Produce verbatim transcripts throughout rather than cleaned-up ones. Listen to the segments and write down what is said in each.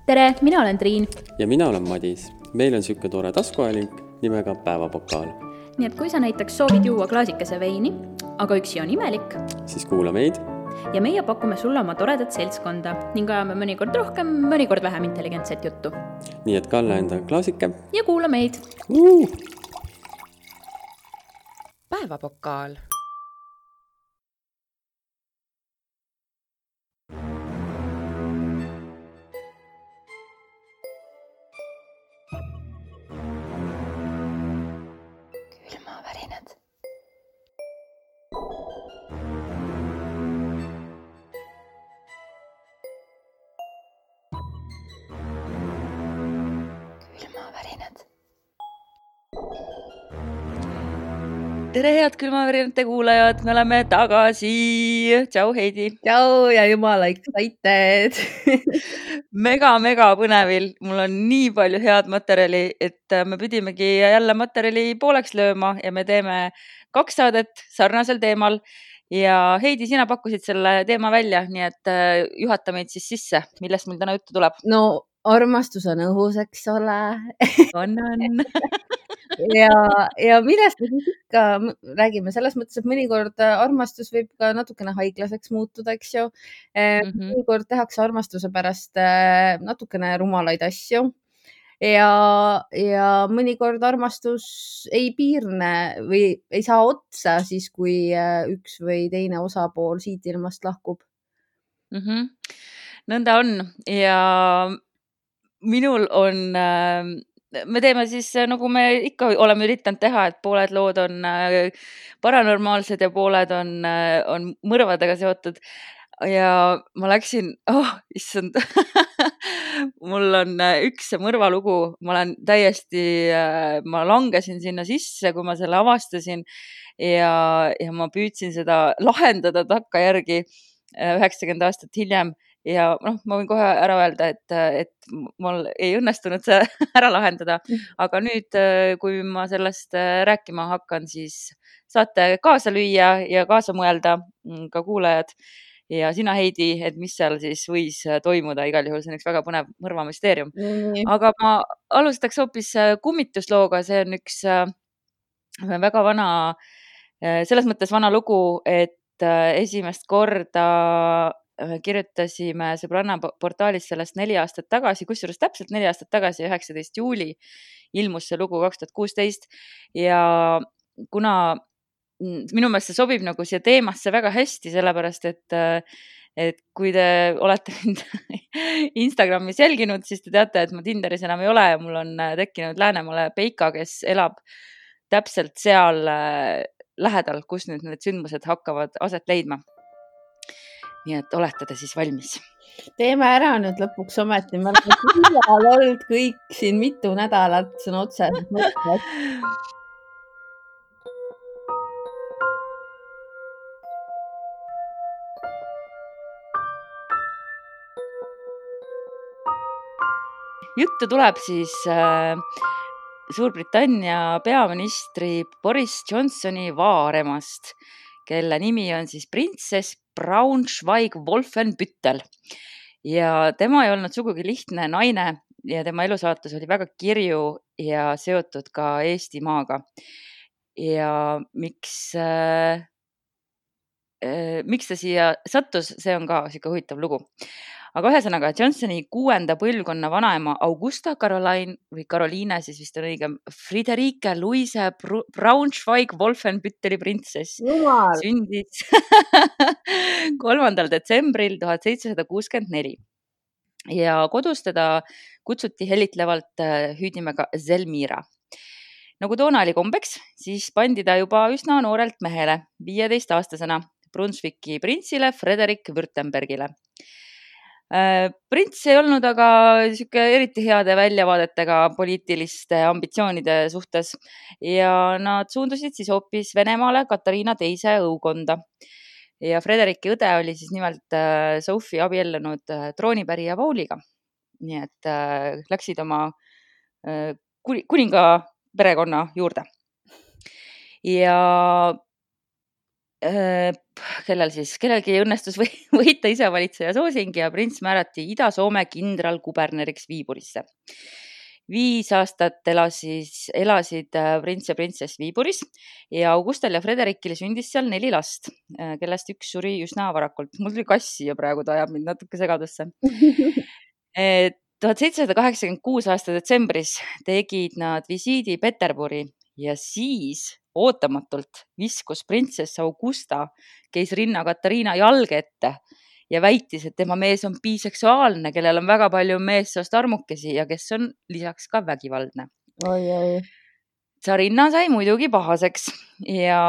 Tere, mina olen Triin. Ja mina olen Madis. Meil on siuke tore taskuajalink nimega Päevapokaal. Nii et kui sa näiteks soovid juua klaasikese veini, aga üksi on imelik, Siis kuula meid. ja meie pakume sulle oma toredat seltskonda ning ajame mõnikord rohkem, mõnikord vähem intelligentset juttu. Nii et kalla enda klaasike. Ja kuula meid. Uh! Päevapokaal. Külmavärinad. Külmavärinad. Tere, head külmavärinate kuulajad, me oleme tagasi. Tšau, Heidi. Tšau ja jumala excited. Mega, mega põnevil. Mul on nii palju head materjali, et me pidimegi jälle materjali pooleks lööma ja me teeme kaks saadet sarnasel teemal. Ja Heidi, sina pakkusid selle teema välja, nii et juhata meid siis sisse. Millest meil täna juttu tuleb? No armastus on õhus, eks ole. On, on. ja, ja millest me siis ikka räägime selles mõttes, et mõnikord armastus võib ka natukene haiglaseks muutuda, eks ju. Mhm. Mõnikord tehakse armastuse pärast natukene rumalaid asju ja, ja mõnikord armastus ei piirne või ei saa otsa siis, kui üks või teine osapool siit ilmast lahkub. Mhm. Nõnda on ja minul on, me teeme siis nagu me ikka oleme üritanud teha, et pooled lood on paranormaalsed ja pooled on, on mõrvadega seotud. Ja ma läksin, oh, issand, mul on üks mõrvalugu, ma olen täiesti, ma langesin sinna sisse, kui ma selle avastasin ja, ja ma püüdsin seda lahendada takkajärgi üheksakümmend aastat hiljem. Ja noh, ma võin kohe ära öelda, et, et mul ei õnnestunud see ära lahendada, aga nüüd, kui ma sellest rääkima hakkan, siis saate kaasa lüüa ja kaasa mõelda ka kuulajad. Ja sina, Heidi, et mis seal siis võis toimuda, igal juhul see on üks väga põnev mõrvamüsteerium. Mm. Aga ma alustaks hoopis kummituslooga, see on üks väga vana, selles mõttes vana lugu, et esimest korda kirjutasime sõbranna portaalis sellest neli aastat tagasi, kusjuures täpselt neli aastat tagasi, üheksateist juuli ilmus see lugu kaks tuhat kuusteist ja kuna minu meelest see sobib nagu siia teemasse väga hästi, sellepärast et, et kui te olete mind Instagramis jälginud, siis te teate, et ma Tinderis enam ei ole ja mul on tekkinud Läänemaale Peika, kes elab täpselt seal lähedal, kus nüüd need sündmused hakkavad aset leidma. Nii et olete te siis valmis? Teeme ära nüüd lõpuks ometi. Me oleme küllal olnud kõik siin mitu nädalat, see on otseselt mõttes. Juttu tuleb siis äh, Suurbritannia peaministri Boris Johnsoni vaaremast, kelle nimi on siis printsess Braunschweig-Wolfenbüttel. Ja tema ei olnud sugugi lihtne naine ja tema elusaatus oli väga kirju ja seotud ka Eestimaaga. Ja miks, äh, äh, miks ta siia sattus, see on ka siuke huvitav lugu. Aga ühesõnaga, Johnsoni kuuenda põlvkonna vanaema Augusta Caroline või Caroline, siis vist on õigem, Friederike Louise Braunschweig-Wolfenbütteli printsess Jumal. sündis kolmandal detsembril tuhat seitsesada kuuskümmend neli. Ja kodus teda kutsuti helitlevalt hüüdnimega Zelmira. Nagu toona oli kombeks, siis pandi ta juba üsna noorelt mehele, viieteist aastasena Brunswicki printsile Frederik Württembergile. Prints ei olnud aga siuke eriti heade väljavaadetega poliitiliste ambitsioonide suhtes ja nad suundusid siis hoopis Venemaale Katariina teise õukonda. Ja Frederiki õde oli siis nimelt Sophie abiellunud troonipärija Pauliga. Nii et läksid oma kuninga perekonna juurde. Ja kellel siis, kellelgi õnnestus või, võita isevalitseja soosing ja prints määrati Ida-Soome kindralkuberneriks Viiburisse. Viis aastat elas siis, elasid prints ja printsess Viiburis ja Augustal ja Frederikil sündis seal neli last, kellest üks suri üsna varakult. Mul tuli kass siia praegu, ta ajab mind natuke segadusse. tuhat seitsesada kaheksakümmend kuus aasta detsembris tegid nad visiidi Peterburi ja siis ootamatult viskus printsess Augusta keisrinna Katariina jalge ette ja väitis, et tema mees on biseksuaalne, kellel on väga palju meessoost armukesi ja kes on lisaks ka vägivaldne. Oi, oi. Tsarinna sai muidugi pahaseks ja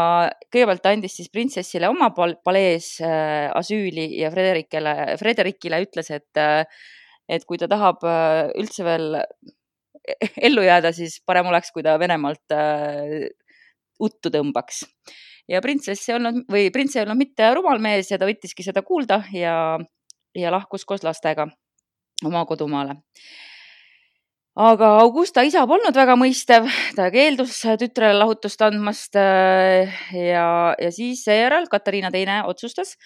kõigepealt ta andis siis printsessile oma palees äh, asüüli ja Frederikile, Frederikile ütles, et, äh, et kui ta tahab äh, üldse veel ellu jääda, siis parem oleks, kui ta Venemaalt äh, uttu tõmbaks. Ja printsess ei olnud, või prints ei olnud mitte rumal mees ja ta võttiski seda kuulda ja, ja lahkus koos lastega oma kodumaale. Aga Augusta isa polnud väga mõistev, ta keeldus tütrele lahutust andmast ja, ja siis seejärel Katariina teine otsustas,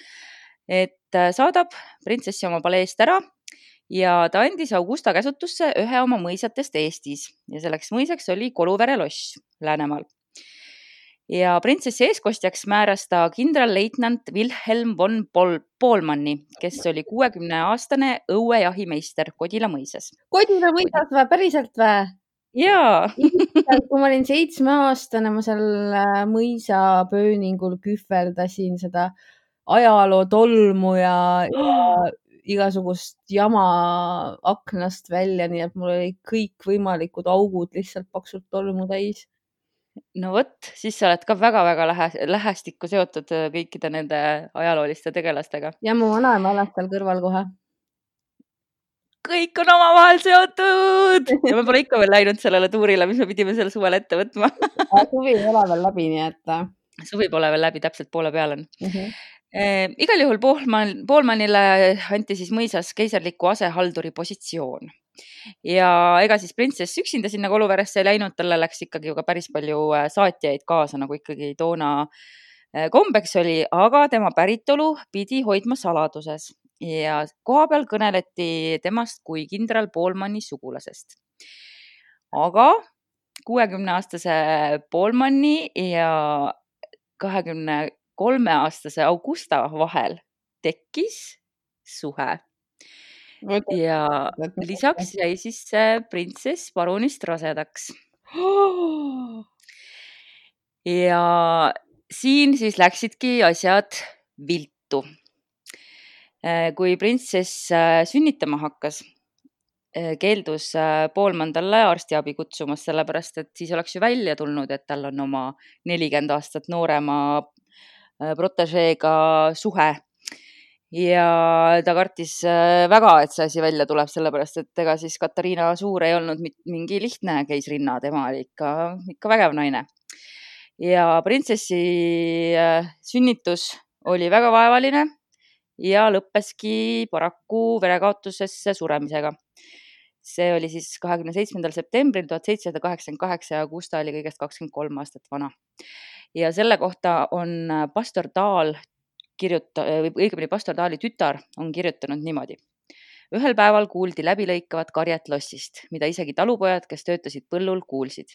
et saadab printsessi oma paleest ära ja ta andis Augusta käsutusse ühe oma mõisatest Eestis ja selleks mõisaks oli Koluvere loss Läänemaal. Ja printsessi eeskostjaks määras ta kindralleitnant Wilhelm von Poolmanni, kes oli kuuekümne aastane õuejahimeister Kodila mõisas. Kodila mõisas või? Päriselt või? Jaa. Kui ma olin seitsme aastane, ma seal mõisa pööningul kühverdasin seda ajaloo tolmu ja, ja igasugust jama aknast välja, nii et mul oli kõik võimalikud augud lihtsalt paksult tolmu täis. No võt, siis sa oled ka väga-väga lähe, lähestikku seotud kõikide nende ajalooliste tegelastega. Ja mu vanaema elas seal kõrval kohe. Kõik on omavahel seotud! Ja me pole ikka veel läinud sellele tuurile, mis me pidime selle suvel ette võtma. Suvi ei ole veel läbi, nii et... Suvi pole veel läbi, täpselt poole peal on. Uh -huh. e, igal juhul Poolman, Poolmanile anti siis mõisas keisarliku asehalduri positsioon. Ja ega siis printsess üksinda sinna Koluveresse ei läinud, talle läks ikkagi ju ka päris palju saatjaid kaasa, nagu ikkagi toona kombeks oli, aga tema päritolu pidi hoidma saladuses ja koha peal kõneleti temast kui kindral Poolmanni sugulasest. Aga kuuekümne aastase Poolmanni ja kahekümne kolme aastase Augusta vahel tekkis suhe. Ja lisaks jäi siis printsess parunist rasedaks. Ja siin siis läksidki asjad viltu. Kui printsess sünnitama hakkas, keeldus Poolman talle arstiabi kutsumas, sellepärast et siis oleks ju välja tulnud, et tal on oma nelikümmend aastat noorema protežeega suhe. Ja ta kartis väga, et see asi välja tuleb, sellepärast, et ega siis Katariina Suur ei olnud mingi lihtne keisrinna, tema oli ikka, ikka vägev naine. Ja printsessi sünnitus oli väga vaevaline ja lõppeski paraku verekaotusesse suremisega. See oli siis kahekümne seitsmendal septembril tuhat seitsesada kaheksakümmend kaheksa ja Augusta oli kõigest kakskümmend kolm aastat vana. Ja selle kohta on pastor Taal kirjuta, või õigemini pastor Taali tütar on kirjutanud niimoodi. Ühel päeval kuuldi läbilõikavat karjet lossist, mida isegi talupojad, kes töötasid põllul, kuulsid.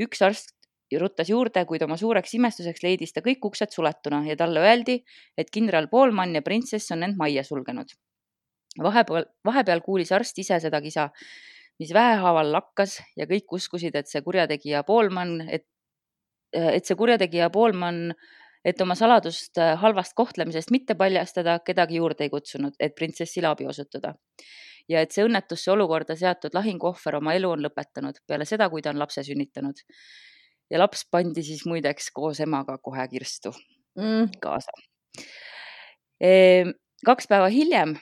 Üks arst ruttas juurde, kuid oma suureks imestuseks leidis ta kõik uksed suletuna ja talle öeldi, et kindral Poolman ja printsess on end majja sulgenud. Vahepeal, vahepeal kuulis arst ise seda kisa, mis vähehaaval lakkas ja kõik uskusid, et see kurjategija Poolman, et, et see kurjategija Poolman et oma saladust halvast kohtlemisest mitte paljastada, kedagi juurde ei kutsunud, et printsessile abi osutada. Ja et see õnnetusse olukorda seatud lahinguohver oma elu on lõpetanud peale seda, kui ta on lapse sünnitanud. Ja laps pandi siis muideks koos emaga kohe kirstu mm. kaasa. E, kaks päeva hiljem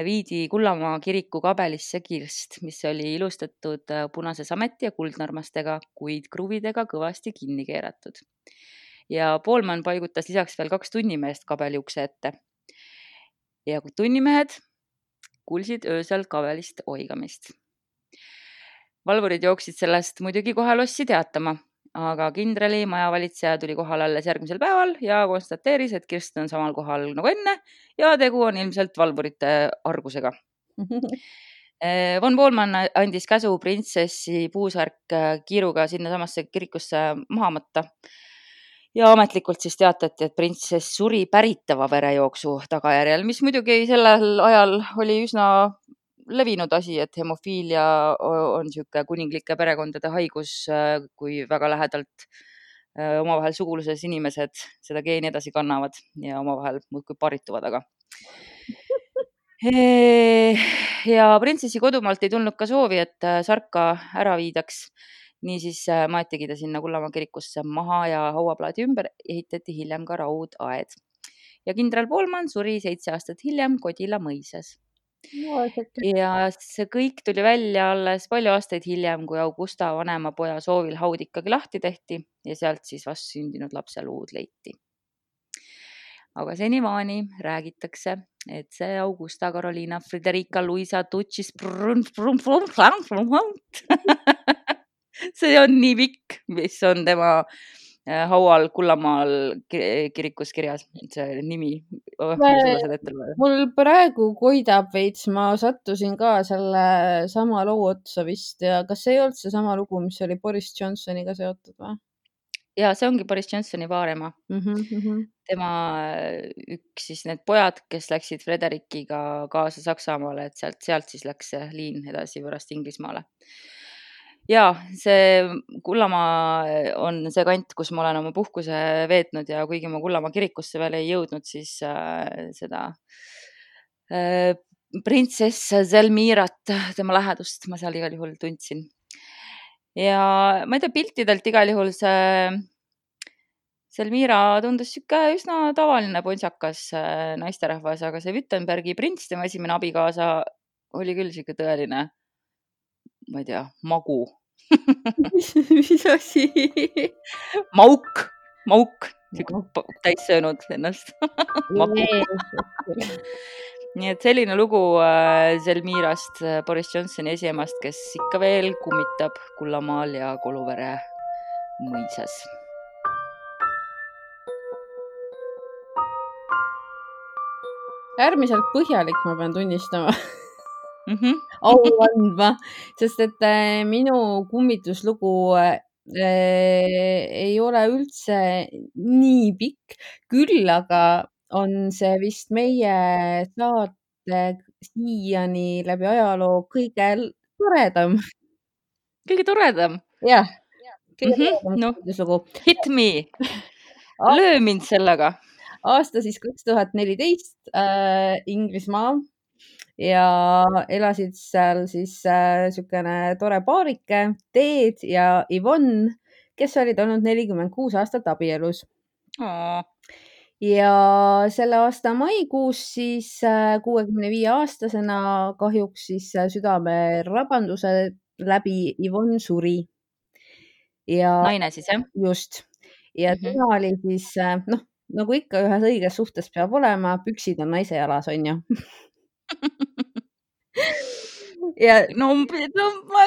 viidi Kullamaa kiriku kabelisse kirst, mis oli ilustatud punase sameti ja kuldnarmastega, kuid kruvidega kõvasti kinni keeratud. Ja Poolman paigutas lisaks veel kaks tunnimeest kabeli ukse ette. Ja tunnimehed kuulsid öösel kabelist oigamist. Valvurid jooksid sellest muidugi kohe lossi teatama aga kindrali majavalitseja tuli kohale alles järgmisel päeval ja konstateeris, et Kirsten on samal kohal nagu enne ja tegu on ilmselt valvurite argusega. Von Boolman andis käsu printsessi puusärk kiiruga sinna samasse kirikusse maha matta ja ametlikult siis teatati, et printsess suri päritava verejooksu tagajärjel, mis muidugi sellel ajal oli üsna levinud asi, et hemofiilia on siuke kuninglike perekondade haigus, kui väga lähedalt omavahel suguluses inimesed seda geeni edasi kannavad ja omavahel muudkui parituvad, aga ja printsessi kodumaalt ei tulnud ka soovi, et sarka ära viidaks. Niisiis maetigi ta sinna Kullamaa kirikusse maha ja hauaplaadi ümber ehitati hiljem ka raudaed. Ja kindral Boolman suri seitse aastat hiljem Kodila mõisas. No, ja see kõik tuli välja alles palju aastaid hiljem, kui Augusta vanema poja soovil haud ikkagi lahti tehti ja sealt siis vast sündinud lapse luud leiti. Aga senimaani räägitakse, et see Augusta Carolina Frederica Luisa Tucci see on nii pikk, mis on tema haual Kullamaal kirikus kirjas, see nimi. Oh, mul praegu koidab veits, ma sattusin ka selle sama loo otsa vist ja kas see ei olnud see sama lugu, mis oli Boris Johnsoniga seotud või? Ja see ongi Boris Johnsoni vaarema. Mm -hmm. Tema üks siis need pojad, kes läksid Frederikiga kaasa Saksamaale, et sealt, sealt siis läks see liin edasi pärast Inglismaale. Ja see Kullamaa on see kant, kus ma olen oma puhkuse veetnud ja kuigi ma Kullamaa kirikusse veel ei jõudnud, siis äh, seda äh, printsess Zelmirat, tema lähedust ma seal igal juhul tundsin. Ja ma ei tea, piltidelt igal juhul see Zelmira tundus siuke üsna tavaline ponsjakas naisterahvas, aga see Wittenbergi prints, tema esimene abikaasa, oli küll siuke tõeline, ma ei tea, magu. Mis asi? Mauk, mauk, täis söönud ennast. Nii et selline lugu Zelmirast, Boris Johnsoni esiemast, kes ikka veel kummitab Kullamaal ja Koluvere mõisas. Äärmiselt põhjalik, ma pean tunnistama. Mm -hmm. Au andma, sest et minu kummituslugu äh, ei ole üldse nii pikk, küll aga on see vist meie saate siiani läbi ajaloo kõige toredam. Kõige toredam? Jah, kõige mm -hmm. toredam no, kummituslugu. Hit me, löö mind sellega. Aasta siis kaks tuhat neliteist äh, Inglismaa. Ja elasid seal siis äh, sükene tore paarike, Ted ja Yvonne, kes olid olnud nelikümmend kuus aastat abielus. Oh. Ja selle aasta maikuus siis äh, kuuekümne viie aastasena kahjuks siis äh, südame rabanduse läbi Yvonne suri. Ja naine siis, jah? Just. Ja mm-hmm. tema oli siis, äh, noh, nagu ikka ühes õiges suhtes peab olema, püksid on naise jalas, on ju. Ja, no, no, ma,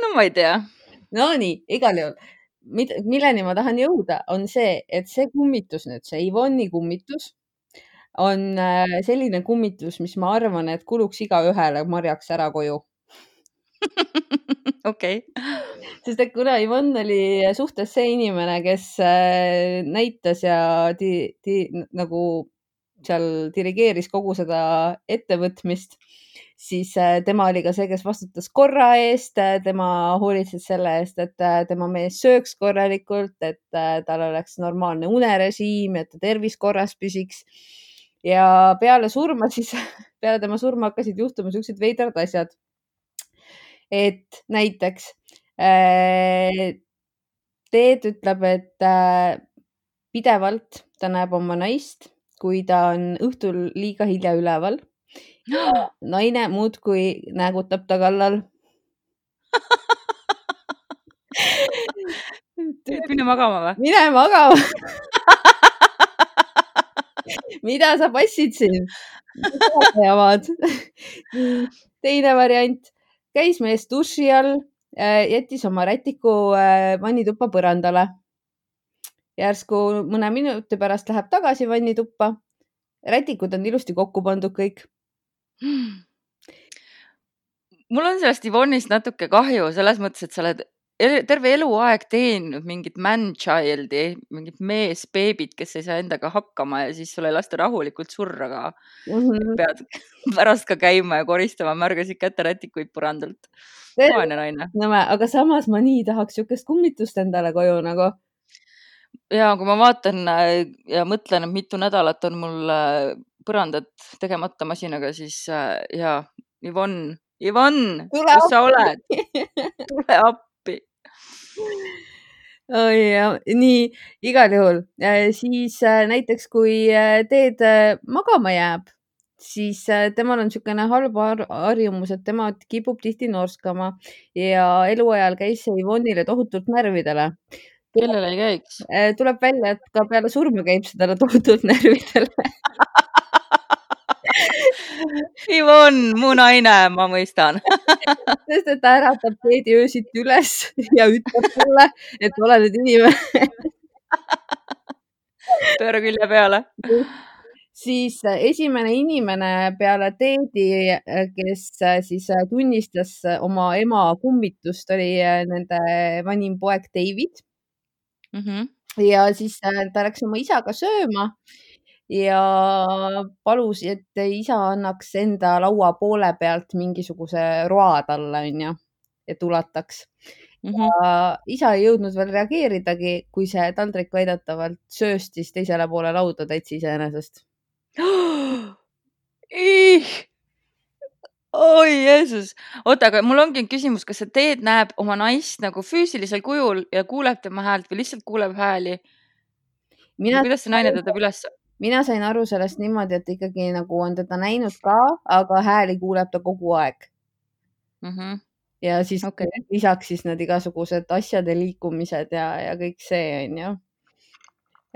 no ma ei tea. No nii, igal juhul. Milleni ma tahan jõuda, on see, et see kummitus nüüd, see Yvonne'i kummitus on selline kummitus, mis ma arvan, et kuluks iga ühele marjaks ära koju. Okei. Sest et kuna Yvonne oli suhtes see inimene, kes näitas ja di, di, nagu seal dirigeeris kogu seda ettevõtmist, siis tema oli ka see, kes vastutas korra eest, tema hoolitses selle eest, et tema mees sööks korralikult, et tal oleks normaalne unerežiim, et ta tervis korras püsiks. Ja peale surma siis, peale tema surma hakkasid juhtuma sellised veidrad asjad. Et näiteks Ted ütleb, et pidevalt ta näeb oma naist, kui ta on õhtul liiga hilja üleval. Naine muudkui näägutab ta kallal. Mine magama või? Mine magama. Mida sa passid siin? Teine variant. Käis mees duši all, jättis oma rätiku vannituppa põrandale. Järsku mõne minuti pärast läheb tagasi vannituppa. Rätikud on ilusti kokku pandud kõik. Mul on sellest Yvonne'ist natuke kahju, selles mõttes, et sa oled terve eluaeg teeninud mingit man-childi, mingit mees-beebit, kes ei saa endaga hakkama ja siis sul ei lasta rahulikult surra ka. Mhm. Pead pärast ka käima ja koristama, märgasid kätte rätikuid põrandalt. Vaene naine. No, aga samas ma nii tahaks siukest kummitust endale koju nagu. Ja kui ma vaatan ja mõtlen, et mitu nädalat on mul põrandat tegemata masinaga, siis ja, Yvonne, Yvonne, Tule kus sa oled? Tule appi. Oh, ja, nii, igal juhul. Siis näiteks, kui teed magama jääb, siis temal on niisugune halb harjumus, et tema kipub tihti norskama ja eluajal käis see Yvonne'ile tohutult närvidele. Kellele ei käiks? Tuleb välja, et ka peale surma käib seda tohutult närvidele. Yvonne, mu naine, ma mõistan. Sest et ta äratab teedi öösiti üles ja ütleb sulle, et ole nüüd inimene. Pööra külje peale. Siis esimene inimene peale teedi, kes siis tunnistas oma ema kummitust, oli nende vanim poeg David. Mm-hmm. Ja siis ta läks oma isaga sööma ja palus, et isa annaks enda laua poole pealt mingisuguse roa talle, on ju, et ulataks. Mm-hmm. Ja isa ei jõudnud veel reageeridagi, kui see taldrik väidetavalt sööstis teisele poole lauda täitsa iseenesest. Ih! Oi, Jeesus. Oota, aga mul ongi küsimus, kas see teed näeb oma naist nagu füüsilisel kujul ja kuuleb tema häält või lihtsalt kuuleb hääli? Mina, kuidas see naine tõdab üles? Mina sain aru sellest niimoodi, et ikkagi nagu on teda näinud ka, aga hääli kuuleb ta kogu aeg. Mm-hmm. Ja siis Okay. lisaks siis need igasugused asjade liikumised ja, ja kõik see on ju.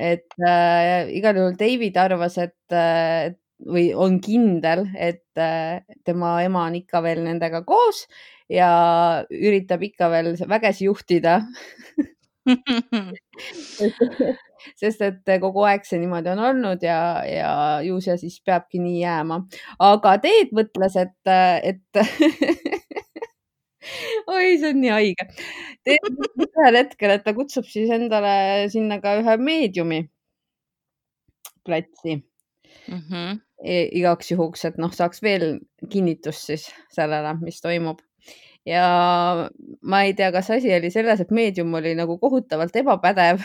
Et äh, igal juhul David arvas, et äh, või on kindel, et äh, tema ema on ikka veel nendega koos ja üritab ikka veel vägesi juhtida. Sest et kogu aeg see niimoodi on olnud ja, ja ju see siis peabki nii jääma. Aga Teet mõtles, et, et oi, see on nii haige. Teet mõtles ühel hetkel, et ta kutsub siis endale sinna ka ühe meediumi platsi. Mm-hmm. Igaks juhuks, et noh, saaks veel kinnitust siis sellele, mis toimub. Ja ma ei tea, kas asi oli selles, et meedium oli nagu kohutavalt ebapädev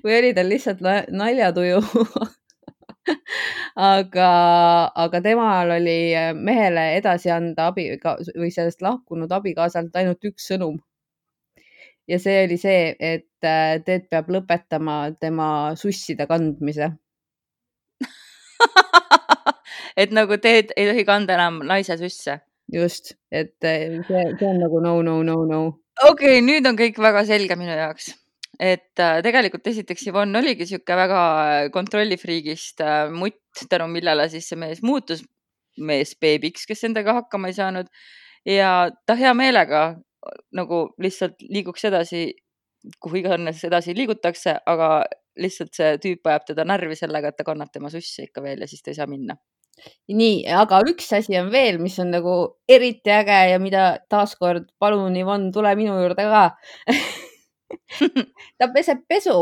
või oli tal lihtsalt naljatuju. aga, aga temal oli mehele edasi anda abi või sellest lahkunud abikaasalt ainult üks sõnum. Ja see oli see, et Teet peab lõpetama tema susside kandmise. Et nagu Teed ei tohi kanda enam naise susse. Just, et see, see on nagu no, no, no, no. Okei, okay, nüüd on kõik väga selge minu jaoks. Et äh, tegelikult esiteks Yvonne oligi siuke väga kontrollifriigist äh, mutt, tänu millele siis see mees muutus mees beebiks, kes endaga hakkama ei saanud. Ja ta hea meelega nagu lihtsalt liiguks edasi, kuhu iganes edasi liigutakse, aga lihtsalt see tüüp ajab teda närvi sellega, et ta kannab tema susse ikka veel ja siis ta ei saa minna. Nii, aga üks asi on veel, mis on nagu eriti äge ja mida taaskord palun, Yvonne, tule minu juurde ka. Ta peseb pesu.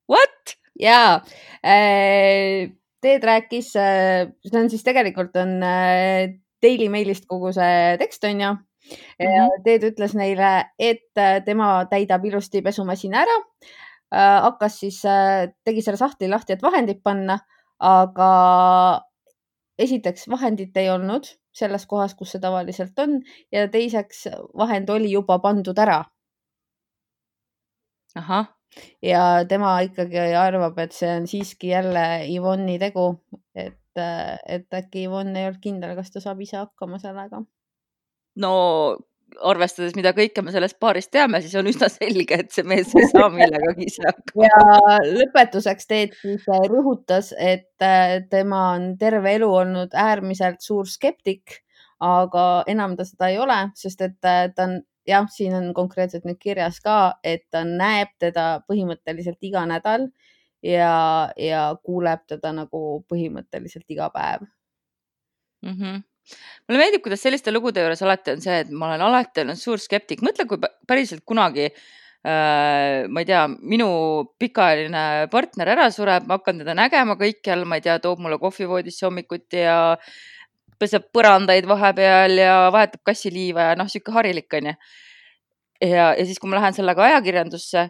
What? Jaa. Teed rääkis, see on siis tegelikult on Daily Mailist kogu see tekst on ju. Mm-hmm. Teed ütles neile, et tema täidab ilusti pesumasina ära. Hakkas siis, tegi selle sahtli lahti, et vahendid panna, aga esiteks vahendit ei olnud selles kohas, kus see tavaliselt on ja teiseks vahend oli juba pandud ära. Aha. Ja tema ikkagi arvab, et see on siiski jälle Yvonne'i tegu, et, et äkki Yvonne ei olnud kindel, kas ta saab ise hakkama sellega. No arvestades, mida kõike me sellest paarist teame, siis on üsna selge, et see mees ei saa millegagi ise hakkama. Ja lõpetuseks Teet siis rõhutas, et tema on terve elu olnud äärmiselt suur skeptik, aga enam ta seda ei ole, sest et ta on, jah, siin on konkreetselt nüüd kirjas ka, et ta näeb teda põhimõtteliselt iga nädal ja, ja kuuleb teda nagu põhimõtteliselt iga päev. mm. -hmm. Mulle meeldib, kuidas selliste lugude juures alati on see, et ma olen alati olnud suur skeptik. Mõtle, kui päriselt kunagi äh, ma ei tea, minu pikaajaline partner ära sureb, ma hakkan teda nägema kõikjal, ma ei tea, toob mulle kohvivoodisse hommikuti ja peseb põrandaid vahepeal ja vahetab kassiliiva ja noh, siuke harilik on ju. Ja, ja siis, kui ma lähen sellega ajakirjandusse,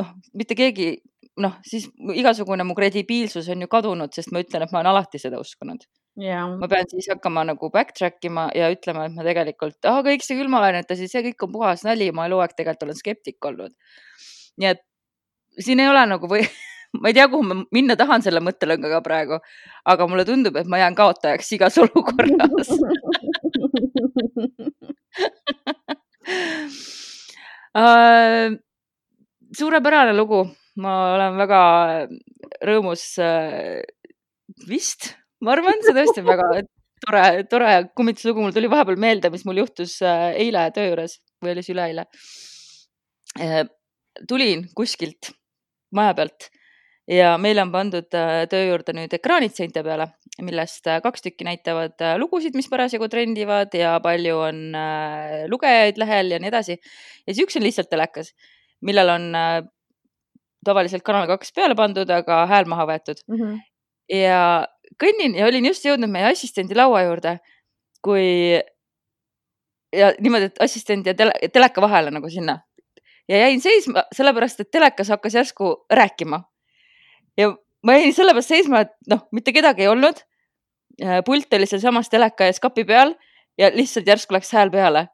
noh, mitte keegi, noh, siis igasugune mu kredibiilsus on ju kadunud, sest ma ütlen, et ma olen alati seda uskunud. Ja. Ma pean siis hakkama nagu backtrack ima ja ütlema, et ma tegelikult, ah, kõik see külmalainetasi, see kõik on puhas nali, ma elu aeg tegelikult olen skeptik olnud. Nii et siin ei ole nagu või, ma ei tea, kuhu ma minna tahan selle mõttelõngaga praegu, aga mulle tundub, et ma jään kaotajaks igas olukorras. uh, suurepärane lugu. Ma olen väga rõõmus uh, vist. Ma arvan, see tõesti on väga tore, tore kummituslugu. Mul tuli vahepeal meelde, mis mul juhtus eile töö juures või oli see üleeile. Tulin kuskilt maja pealt ja meil on pandud töö juurde nüüd ekraanid seinte peale, millest kaks tükki näitavad lugusid, mis parasjagu trendivad ja palju on lugejaid lehel ja nii edasi. Ja siis üks on lihtsalt telekas, millel on tavaliselt kanal kaks peale pandud, aga hääl maha võetud. Mm-hmm. Ja kõnnin ja olin just jõudnud meie assistendi laua juurde, kui ja niimoodi, et assistent ja tele, teleka vahele nagu sinna. Ja jäin seisma sellepärast, et telekas hakkas järsku rääkima. Ja ma jäin sellepärast seisma, et noh, mitte kedagi ei olnud. Pult oli seal samas teleka ja skapi peal ja lihtsalt järsku läks hääl peale.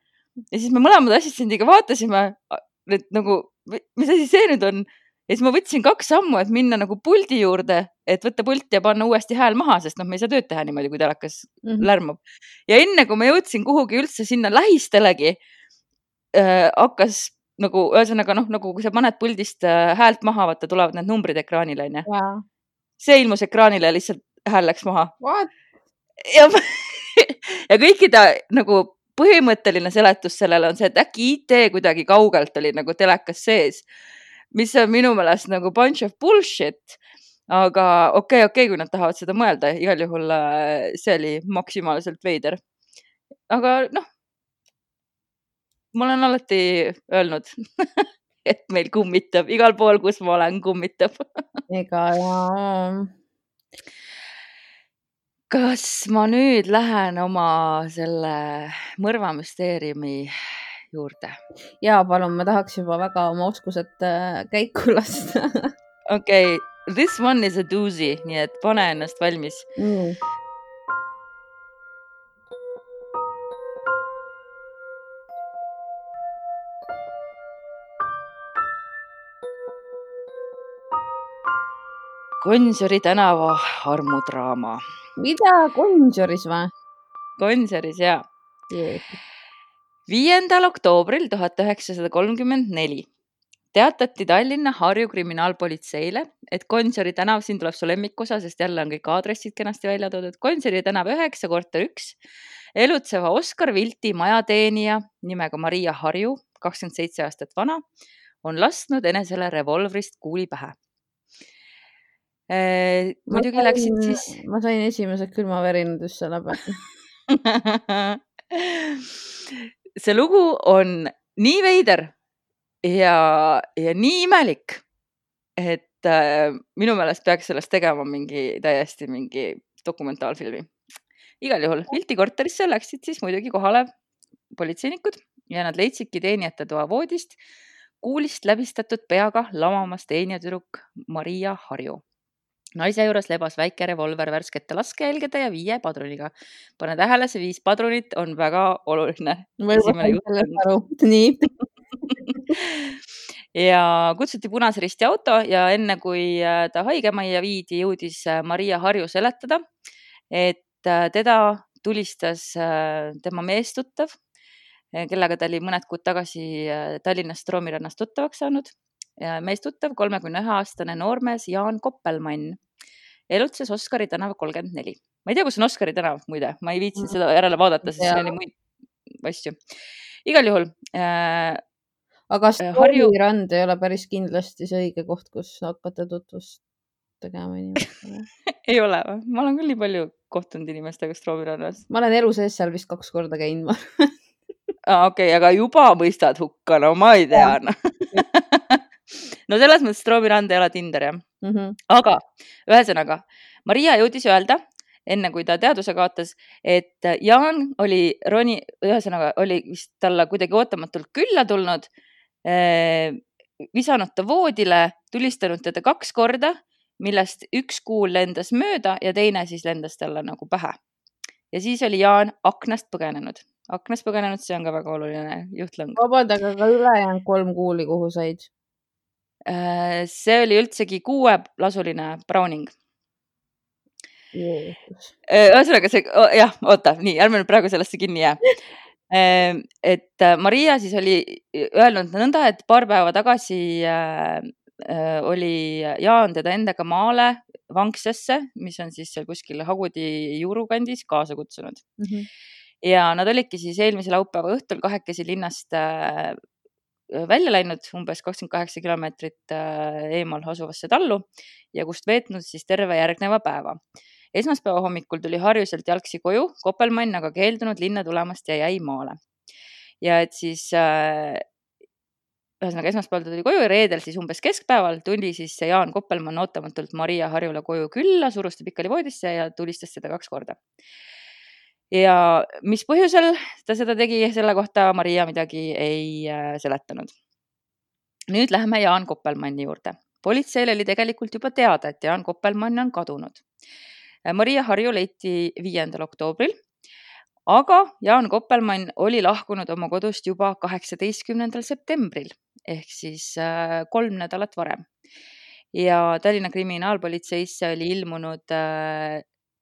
Ja siis me mõlemad assistendiga vaatasime, et nagu, mis asi see nüüd on? Ja siis ma võtsin kaks sammu, et minna nagu puldi juurde, et võtta pult ja panna uuesti hääl maha, sest noh, me ei saa tööd teha niimoodi, kui telekas mm-hmm. lärmab. Ja enne, kui ma jõudsin kuhugi üldse sinna lähistelegi, äh, hakkas nagu, ühesõnaga noh, nagu kui sa paned puldist äh, häält maha, vaata, tulevad need numbrid ekraanile, on ju. See ilmus ekraanile ja lihtsalt hääl läks maha. What? Ja, ja kõikide nagu põhimõtteline seletus sellele on see, et äkki I T kuidagi kaugelt oli nagu telekas sees, mis on minu meelest nagu bunch of bullshit, aga okei, okay, okei, okay, kui nad tahavad seda mõelda, igal juhul see oli maksimaalselt veider. Aga noh, ma olen alati öelnud, et meil kummitab, igal pool, kus ma olen, kummitab. Ega jaa. Kas ma nüüd lähen oma selle mõrvamüsteeriumi juurde? Jaa, palun, ma tahaks juba väga oma oskused käiku lasta. Okei, okay. This one is a doozy, nii et pane ennast valmis. Mm. Gonsiori tänava armudraama. Mida? Gonsioris või? Gonsioris, jaa. Yeah. viiendal oktoobril tuhat üheksasada kolmkümmend neli teatati Tallinna Harju kriminaalpolitseile, et Gonsiori tänav, siin tuleb su lemmikusa, sest jälle on kõik aadressid kenasti välja toodud. Gonsiori tänav üheksa korter üks elutseva Oskar Vilti majateenija nimega Maria Harju, kakskümmend seitse aastat vana, on lasknud enesele revolvrist kuuli pähe. Eh, muidugi ma sain, läksid siis... Ma sain esimesed külmaverinad just selle peale. See lugu on nii veider ja, ja nii imelik, et äh, minu meelest peaks sellest tegema mingi täiesti mingi dokumentaalfilmi. Igal juhul Vilti korterisse läksid siis muidugi kohale politseinikud ja nad leidsidki teenijate toa voodist kuulist läbistatud peaga lamamas teenijatüdruk Maria Harju. Naise juures lebas väike revolver värskete laskejälgede ja viie padruniga. Pane tähele, see viis padrunit on väga oluline. Nii. Ja kutsuti Punase Risti auto ja enne kui ta haigemajja viidi, jõudis Maria Harju seletada, et teda tulistas tema meestuttav, kellega ta oli mõned kuud tagasi Tallinnast Romirannast tuttavaks saanud. Meestuttav kolmekümne ühe aastane noormees Jaan Koppelmann. elutses Oskari tänav kolmkümmend neli. Ma ei tea, kus on Oskari tänav, muide. Ma ei viitsinud seda järele vaadata, sest siin oli muid asju. Igal juhul. Äh, aga Stroomirand ei ole päris kindlasti see õige koht, kus hakata tutvust tegema inimestele. Ei ole. Ma olen küll nii palju kohtunud inimestega Stroomirannas. Ma olen elu sees seal vist kaks korda käinud. Ah, okei, okay, aga juba mõistad hukka, no ma ei tea. No, no selles mõttes Stroomirand ei ole Tinder, jah. Mm -hmm. Aga ühesõnaga, Maria jõudis öelda, enne kui ta teaduse kaotas, et Jaan oli Roni, ühesõnaga oli vist talle kuidagi ootamatult külla tulnud, eh, visanud ta voodile, tulistanud teda kaks korda, millest üks kuul lendas mööda ja teine siis lendas talle nagu pähe. Ja siis oli Jaan aknast põgenenud. Aknast põgenenud, see on ka väga oluline juhtlõng. Vabandage, aga ülejäänud kolm kuuli, kuhu said? See oli üldsegi kuuelasuline Browning. Ühesõnaga see, jah, oota, nii, ärme nüüd praegu sellesse kinni jää. Et Maria siis oli öelnud nõnda, et paar päeva tagasi oli Jaan teda endaga maale Vanksesse, mis on siis seal kuskil Hagudi juurukandis kaasa kutsunud. Mm-hmm. Ja nad olidki siis eelmise laupäeva õhtul kahekesi linnast välja läinud umbes kakskümmend kaheksa kilomeetrit eemal asuvasse tallu ja kust veetnud siis terve järgneva päeva. Esmaspäeva hommikul tuli Harjuselt jalgsi koju, Koppelmann aga keeldunud linna tulemast ja jäi maale. Ja et siis ühesõnaga esmaspäeval tuli koju ja reedel siis umbes keskpäeval tuli siis Jaan Koppelmann ootamatult Maria Harjule koju külla, surus ta pikali voodisse ja tulistas seda kaks korda. Ja mis põhjusel ta seda tegi, selle kohta Maria midagi ei seletanud. Nüüd läheme Jaan Koppelmanni juurde. Politseil oli tegelikult juba teada, et Jaan Koppelmann on kadunud. Maria Harju leiti viiendal oktoobril, aga Jaan Koppelmann oli lahkunud oma kodust juba kaheksateistkümnendal septembril ehk siis kolm nädalat varem. Ja Tallinna kriminaalpolitseisse oli ilmunud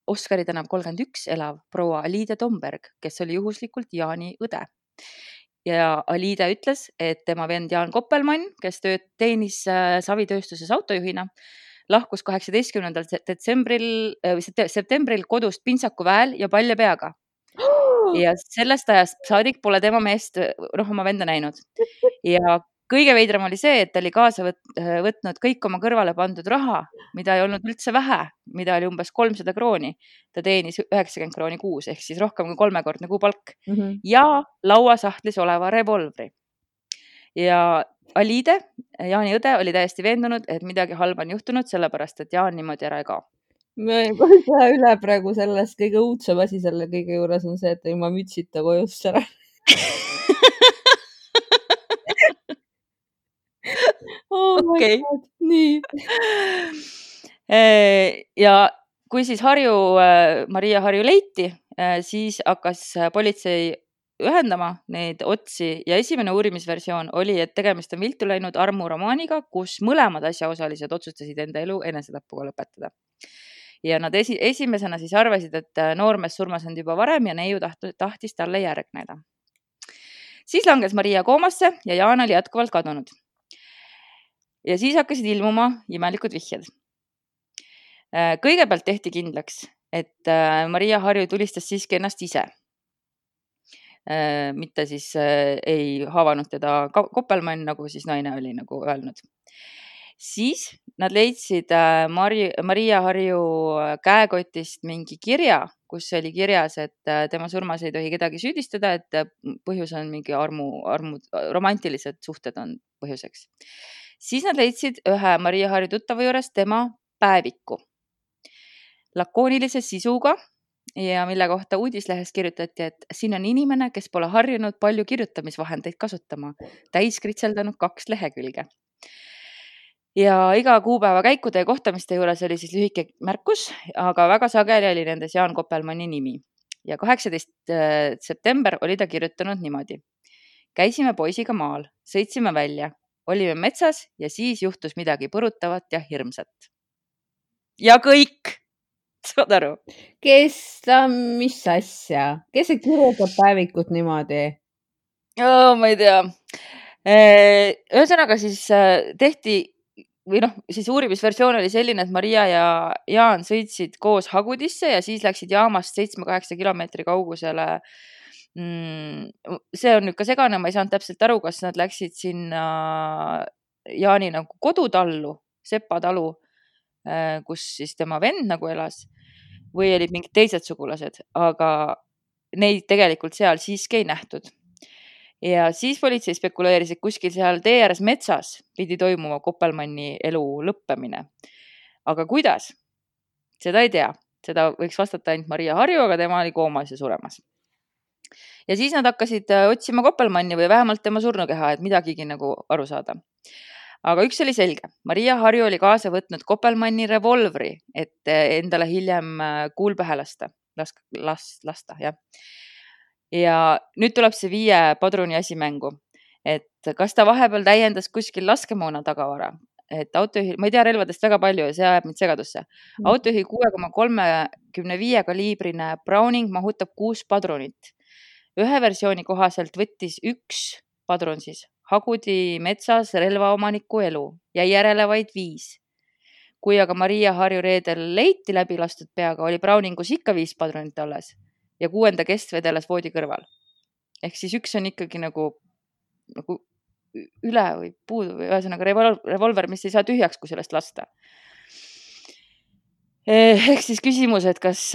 Oskari tänav kolmkümmend üks elav proua Aliide Tomberg, kes oli juhuslikult Jaani õde. Ja Aliide ütles, et tema vend Jaan Koppelmann, kes tööd teenis savitööstuses autojuhina, lahkus kaheksateistkümnendal detsembril, septembril kodust pintsaku väel ja palja peaga. Ja sellest ajast saadik pole tema meest noh, oma venda näinud. Ja kõige veidram oli see, et ta oli kaasa võtnud kõik oma kõrvale pandud raha, mida ei olnud üldse vähe, mida oli umbes kolmsada krooni. Ta teenis üheksakümmend krooni kuus, ehk siis rohkem kui kolmekordne kuupalk. Mm-hmm. Ja lauasahtlis oleva revolvri. Ja Aliide, Jaani õde, oli täiesti veendunud, et midagi halba on juhtunud, sellepärast, et Jaan niimoodi ära ei kao. Ma ei saa üle praegu sellest kõige uudsem asi selle kõige juures on see, et ilma mütsita kojust ära. Oh okay. Nii. Ja kui siis Harju, Maria Harju leiti, siis hakkas politsei ühendama neid otsi ja esimene uurimisversioon oli, et tegemist on viltu läinud armuromaaniga, kus mõlemad asjaosalised otsustasid enda elu enesetappuga lõpetada. Ja nad esi, esimesena siis arvasid, et noormees surmas on juba varem ja neiu tahtis talle järgneda. Siis langes Maria koomasse ja Jaan oli jätkuvalt kadunud. Ja siis hakkasid ilmuma imelikud vihjed. Kõigepealt tehti kindlaks, et Maria Harju tulistas siiski ennast ise. Mitte siis ei haavanud teda Koppelmann, nagu siis naine oli nagu öelnud. Siis nad leidsid Mari, Maria Harju käekotist mingi kirja, kus oli kirjas, et tema surmas ei tohi kedagi süüdistada, et põhjus on mingi armu, armu, romantilised suhted on põhjuseks. Siis nad leidsid ühe Maria Harju tuttava juures tema päeviku lakoonilise sisuga ja mille kohta uudislehes kirjutati, et siin on inimene, kes pole harjunud palju kirjutamisvahendeid kasutama, täis kritseldanud kaks lehekülge. Ja iga kuupäeva käikude ja kohtamiste juures oli siis lühike märkus, aga väga sageli oli nendes Jaan Koppelmanni nimi. Ja kaheksateistkümnes september oli ta kirjutanud niimoodi. Käisime poisiga maal, sõitsime välja, olime metsas ja siis juhtus midagi põrutavat ja hirmsat. Ja kõik! Saad aru? Kes ta, mis asja? Kes see kirjutab päevikut niimoodi? Oh, ma ei tea. Ühesõnaga siis tehti või noh, siis uurimisversioon oli selline, et Maria ja Jaan sõitsid koos Hagudisse ja siis läksid jaamast seitsme-kaheksa kilomeetri kaugusele. See on nüüd ka segane, ma ei saanud täpselt aru, kas nad läksid sinna Jaani nagu kodutallu, Sepa talu, kus siis tema vend nagu elas või olid mingid teised sugulased, aga neid tegelikult seal siiski ei nähtud. Ja siis politsei spekuleeris, et kuskil seal tee ääres metsas pidi toimuma Koppelmanni elu lõppemine. Aga kuidas? Seda ei tea. Seda võiks vastata ainult Maria Harju, aga tema oli koomas ja suremas. Ja siis nad hakkasid otsima Koppelmanni või vähemalt tema surnukeha, et midagigi nagu aru saada. Aga üks oli selge. Maria Harju oli kaasa võtnud Koppelmanni revolvri, et endale hiljem kuul pähe lasta. Las, las, lasta, jah. Ja nüüd tuleb see viie padruni asi mängu, et kas ta vahepeal täiendas kuskil laskemoona tagavara, et autojuhi, ma ei tea relvadest väga palju ja see ajab mind segadusse. Autojuhi kuue koma kolmekümne viie kaliibrine Browning mahutab kuus padrunit. Ühe versiooni kohaselt võttis üks padrun siis Hagudi metsas relvaomaniku elu ja järele vaid viis. Kui aga Maria Harju reedel leiti läbi lastud peaga, oli Browningus ikka viis padrunit alles ja kuuenda kest vedeles voodi kõrval. Ehk siis üks on ikkagi nagu, nagu üle või puudu või ühesõnaga revolver, mis ei saa tühjaks, kui sellest lasta. Ehk siis küsimus, et kas,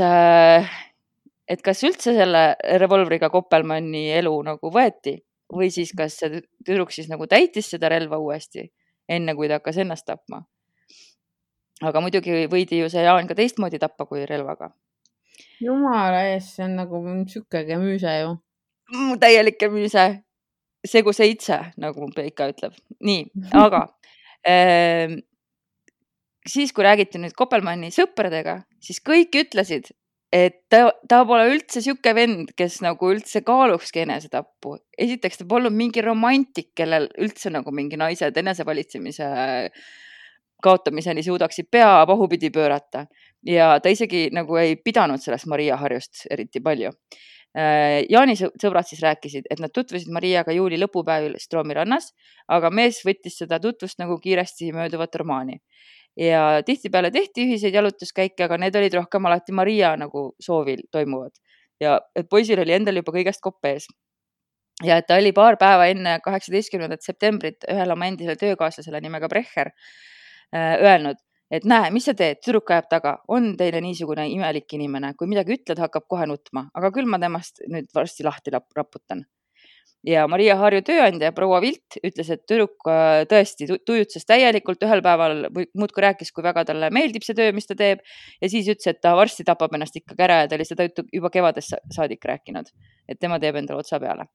et kas üldse selle revolvriga Koppelmanni elu nagu võeti või siis kas see tüdruk siis nagu täitis seda relva uuesti, enne kui ta hakkas ennast tapma. Aga muidugi võidi ju see Jaan ka teistmoodi tappa kui relvaga. Jumala ees, see on nagu sükege müüse ju. Täielike müüse. Segu seitse, nagu mu Peika ütleb. Nii, aga äh, siis, kui räägiti nüüd Koppelmanni sõpradega, siis kõik ütlesid, et ta, ta pole üldse süke vend, kes nagu üldse kaalukski enesetappu. Esiteks ta polnud mingi romantik, kellel üldse nagu mingi naised enesevalitsemise kaotamiseni suudaksid pea pahupidi pöörata. Ja ta isegi nagu ei pidanud sellest Maria Harjust eriti palju. Jaani sõbrad siis rääkisid, et nad tutvusid Mariaga juuli lõpupäevil Stroomi rannas, aga mees võttis seda tutvust nagu kiiresti mööduvat romaani. Ja tihtipeale tehti ühiseid jalutuskäike, aga need olid rohkem alati Maria nagu soovil toimuvad. Ja et poisil oli endal juba kõigest kopp ees. Ja et ta oli paar päeva enne kaheksateistkümnendat septembrit ühel oma endisele töökaaslasele nimega Brecher öelnud, et näe, mis sa teed, tüdruk ajab taga, on teile niisugune imelik inimene, kui midagi ütled, hakkab kohe nutma, aga küll ma temast nüüd varsti lahti raputan. Ja Maria Harju tööandja proua Vilt ütles, et tüdruk tõesti tujutses täielikult, ühel päeval muudkui rääkis, kui väga talle meeldib see töö, mis ta teeb, ja siis ütles, et ta varsti tapab ennast ikka kära ja ta oli seda juba kevadest saadik rääkinud, et tema teeb endale otsa peale.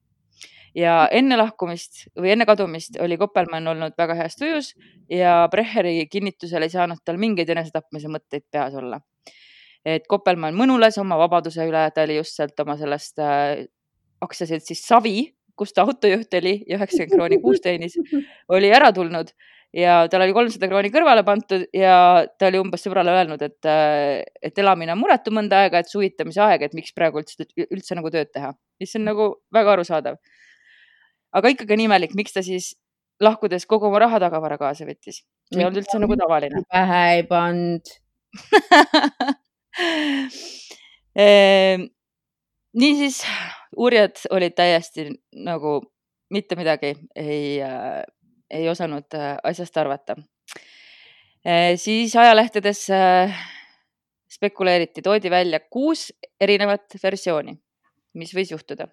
Ja enne lahkumist või enne kadumist oli Koppelmann olnud väga heas tujus ja Brecheri kinnitusel ei saanud tal mingeid enesetapmise mõtteid peas olla. Et Koppelmann mõnules oma vabaduse üle, ta oli just sealt oma sellest äh, aktsiaselt siis Savi, kus ta autojuht oli ja üheksakümmend krooni kuus teenis, oli ära tulnud ja tal oli kolmsada krooni kõrvale pantud ja ta oli umbes sõbrale öelnud, et, et elamine on muretu mõnda aega, et suvitamise aeg, et miks praegu üldse, üldse nagu tööd teha. Mis on nagu väga arusaadav. Aga ikkagi nimelik, miks ta siis lahkudes kogu oma raha tagavara kaasa võttis. See on üldse nagu tavaline. Pähe ei pand. Niisiis, uurijad olid täiesti nagu mitte midagi ei, ei osanud asjast arvata. Siis ajalehtedes spekuleeriti, toodi välja kuus erinevat versiooni, mis võis juhtuda.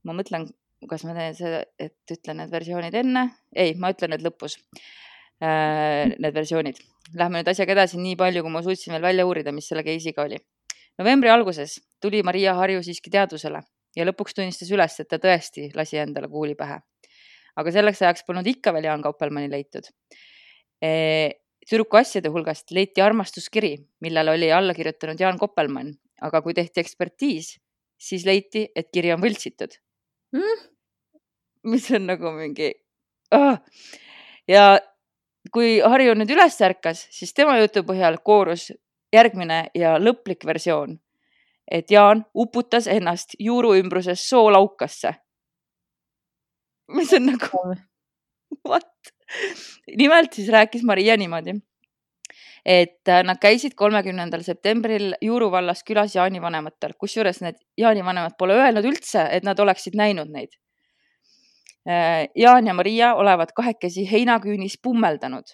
Ma mõtlen, kas ma teen seda, et ütlen need versioonid enne? Ei, ma ütlen need lõpus, need versioonid. Lähme nüüd asjaga edasi nii palju, kui ma suutsin veel välja uurida, mis selle keisiga oli. Novembri alguses tuli Maria Harju siiski teadusele ja lõpuks tunnistas üles, et ta tõesti lasi endale kuuli pähe. Aga selleks ajaks polnud ikka veel Jaan Koppelmanni leitud. Tüdruku asjade hulgast leiti armastuskiri, millele oli alla kirjutanud Jaan Koppelmann, aga kui tehti ekspertiis, siis leiti, et kiri on võltsitud. Mm? Mis on nagu mingi oh. Ja kui Harju nüüd üles ärkas, siis tema jutu põhjal koorus järgmine ja lõplik versioon, et Jaan uputas ennast juuru ümbruses soolaukasse. Mis on nagu What? Nimelt siis rääkis Maria niimoodi, et nad käisid kolmekümnendal septembril Juuru vallas külas Jaani vanematel, kusjuures need Jaani vanemad pole öelnud üldse, et nad oleksid näinud neid. Jaan ja Maria olevat kahekesi heinaküünis pummeldanud.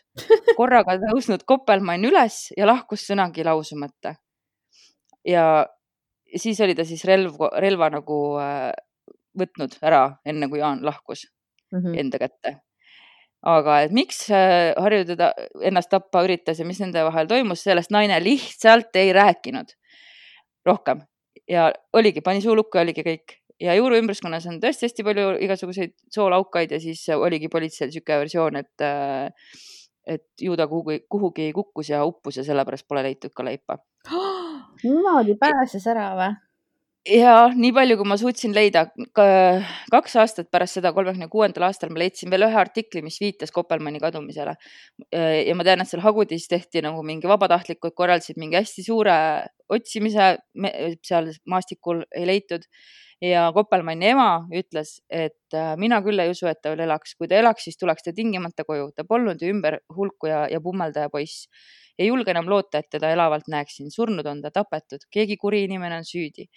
Korraga tõusnud Koppelmann üles ja lahkus sõnagi lausumata. Ja siis oli ta siis relv, relva nagu võtnud ära, enne kui Jaan lahkus mm-hmm. enda kätte. Aga et miks Harju teda ennast tappa üritas ja mis nende vahel toimus, sellest naine lihtsalt ei rääkinud rohkem. Ja oligi, pani suu lukku ja oligi kõik. Ja Juuru ümbruskonnas on tõesti hästi palju igasuguseid soolaukaid ja siis oligi politseel süke versioon, et, et ju ta kuhugi, kuhugi kukkus ja uppus ja sellepärast pole leitud ka leipa. Niimoodi pääses ära või? Ja nii palju, kui ma suutsin leida, kaks aastat pärast seda kolmekümne kuuendal aastal ma leidsin veel ühe artikli, mis viitas Koppelmanni kadumisele. Ja ma tean, et seal Hagudis tehti nagu mingi vabatahtlikud, korraldasid mingi hästi suure otsimise, seal maastikul ei leitud. Ja Koppelmanni ema ütles, et mina küll ei usu, et ta veel elaks. Kui ta elaks, siis tuleks ta tingimata koju. Ta polnud ümber hulku ja, ja pummeldaja poiss. Ei julge enam loota, et teda elavalt näeksin. Surnud on ta tapetud. Keegi kuri inimene on süüdi.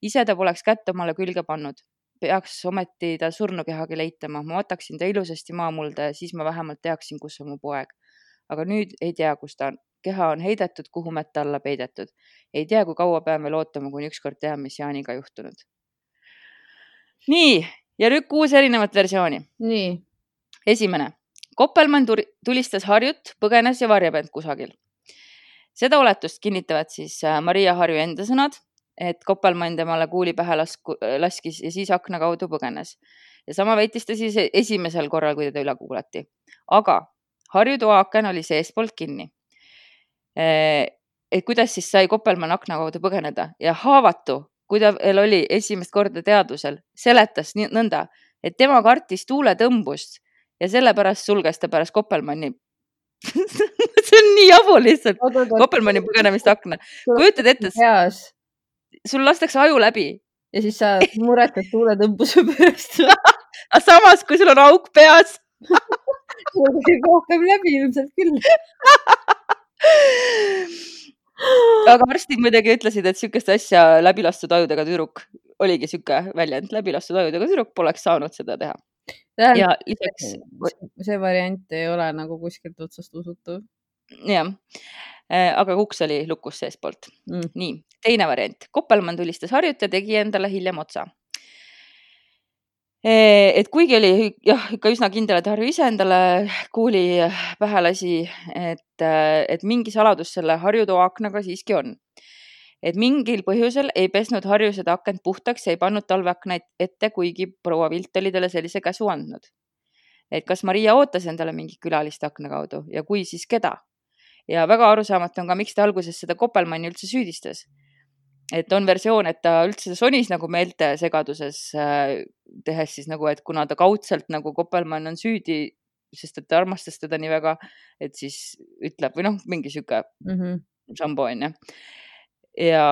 Ise ta poleks kätt omale külge pannud. Peaks ometi ta surnukehagi leitama. Ma võtaksin ta ilusasti maamulda ja siis ma vähemalt teaksin, kus on mu poeg. Aga nüüd ei tea, kus ta on. Keha on heidetud, kuhu metta alla peidetud. Ei tea, kui kaua peame lootama, kui ükskord teha, mis Jaaniga juhtunud. Nii, ja nüüd kuus erinevat versiooni. Nii. Esimene. Koppelmann tulistas Harjut, põgenes ja varjab end kusagil. Seda oletust kinnitavad siis Maria Harju enda sõnad, et Koppelmann temale kuuli pähe lasku, laskis ja siis akna kaudu põgenes. Ja sama väitis ta siis esimesel korral, kui teda üle kuulati. Aga Harju toaaken oli seespoolt kinni. Et kuidas siis sai Koppelmann akna kaudu põgeneda ja haavatu, kui ta veel oli esimest korda teadvusel, seletas nõnda, et tema kartis tuule tõmbust ja sellepärast sulges ta pärast Koppelmanni. See on nii jabu lihtsalt. Koppelmanni põgenemist akna. Kujutad ette, sul lastakse aju läbi. Ja siis sa muretad tuule tõmbuse pärast. Aga samas, kui sul on auk peas. Sul on rohkem läbi ilmselt küll. Aga arstid muidugi ütlesid, et sükest asja läbilastud ajudega tüdruk oligi süke väljend. Läbilastud ajudega tüdruk poleks saanud seda teha. Ja lisaks... See variant ei ole nagu kuskilt otsast usutud. Jah, aga kuks oli lukus seespoolt. Mm. Nii, teine variant. Koppelmann tulistas Harjut ja tegi endale hiljem otsa. Et kuigi oli jah, ikka üsna kindel, et Harju ise endale kuuli pähe lasi, et, et mingi saladus selle Harju toaaknaga siiski on. Et mingil põhjusel ei pesnud Harju seda akent puhtaks ja ei pannud talveaknaid ette, kuigi proua Vilt oli talle sellise käsu andnud. Et kas Maria ootas endale mingi külalist akna kaudu ja kui, siis keda? Ja väga arusaamatu on ka, miks ta alguses seda Koppelmanni üldse süüdistas. Et on versioon, et ta üldse sonis nagu meelte segaduses tehes siis nagu, et kuna ta kaudselt nagu Koppelmann on süüdi, sest et ta armastas teda nii väga, et siis ütleb või noh, mingi süke mm-hmm. sambo on ja. Ja,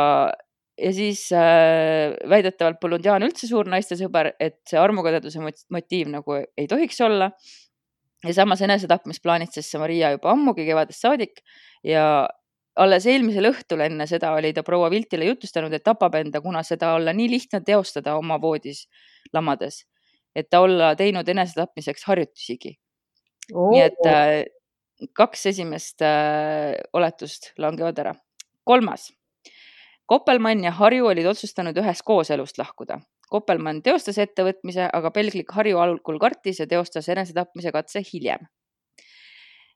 ja siis äh, väidetavalt polnud Jaan üldse suur naiste sõber, et see armukadeduse motiiv nagu ei tohiks olla. Ja samas enesetapmis plaanitses see Maria juba ammugi kevadest saadik ja alles eelmisel õhtul enne seda oli ta proua Viltile jutustanud, et tapab enda, kuna seda olla nii lihtne teostada oma voodis lamades, et ta olla teinud enesetapmiseks harjutusigi. Oh. Nii et äh, kaks esimest äh, oletust langevad ära. Kolmas. Koppelmann ja Harju olid otsustanud ühes koos elust lahkuda. Koppelmann teostas ettevõtmise, aga pelglik Harju algul kartis ja teostas enesetapmise katse hiljem.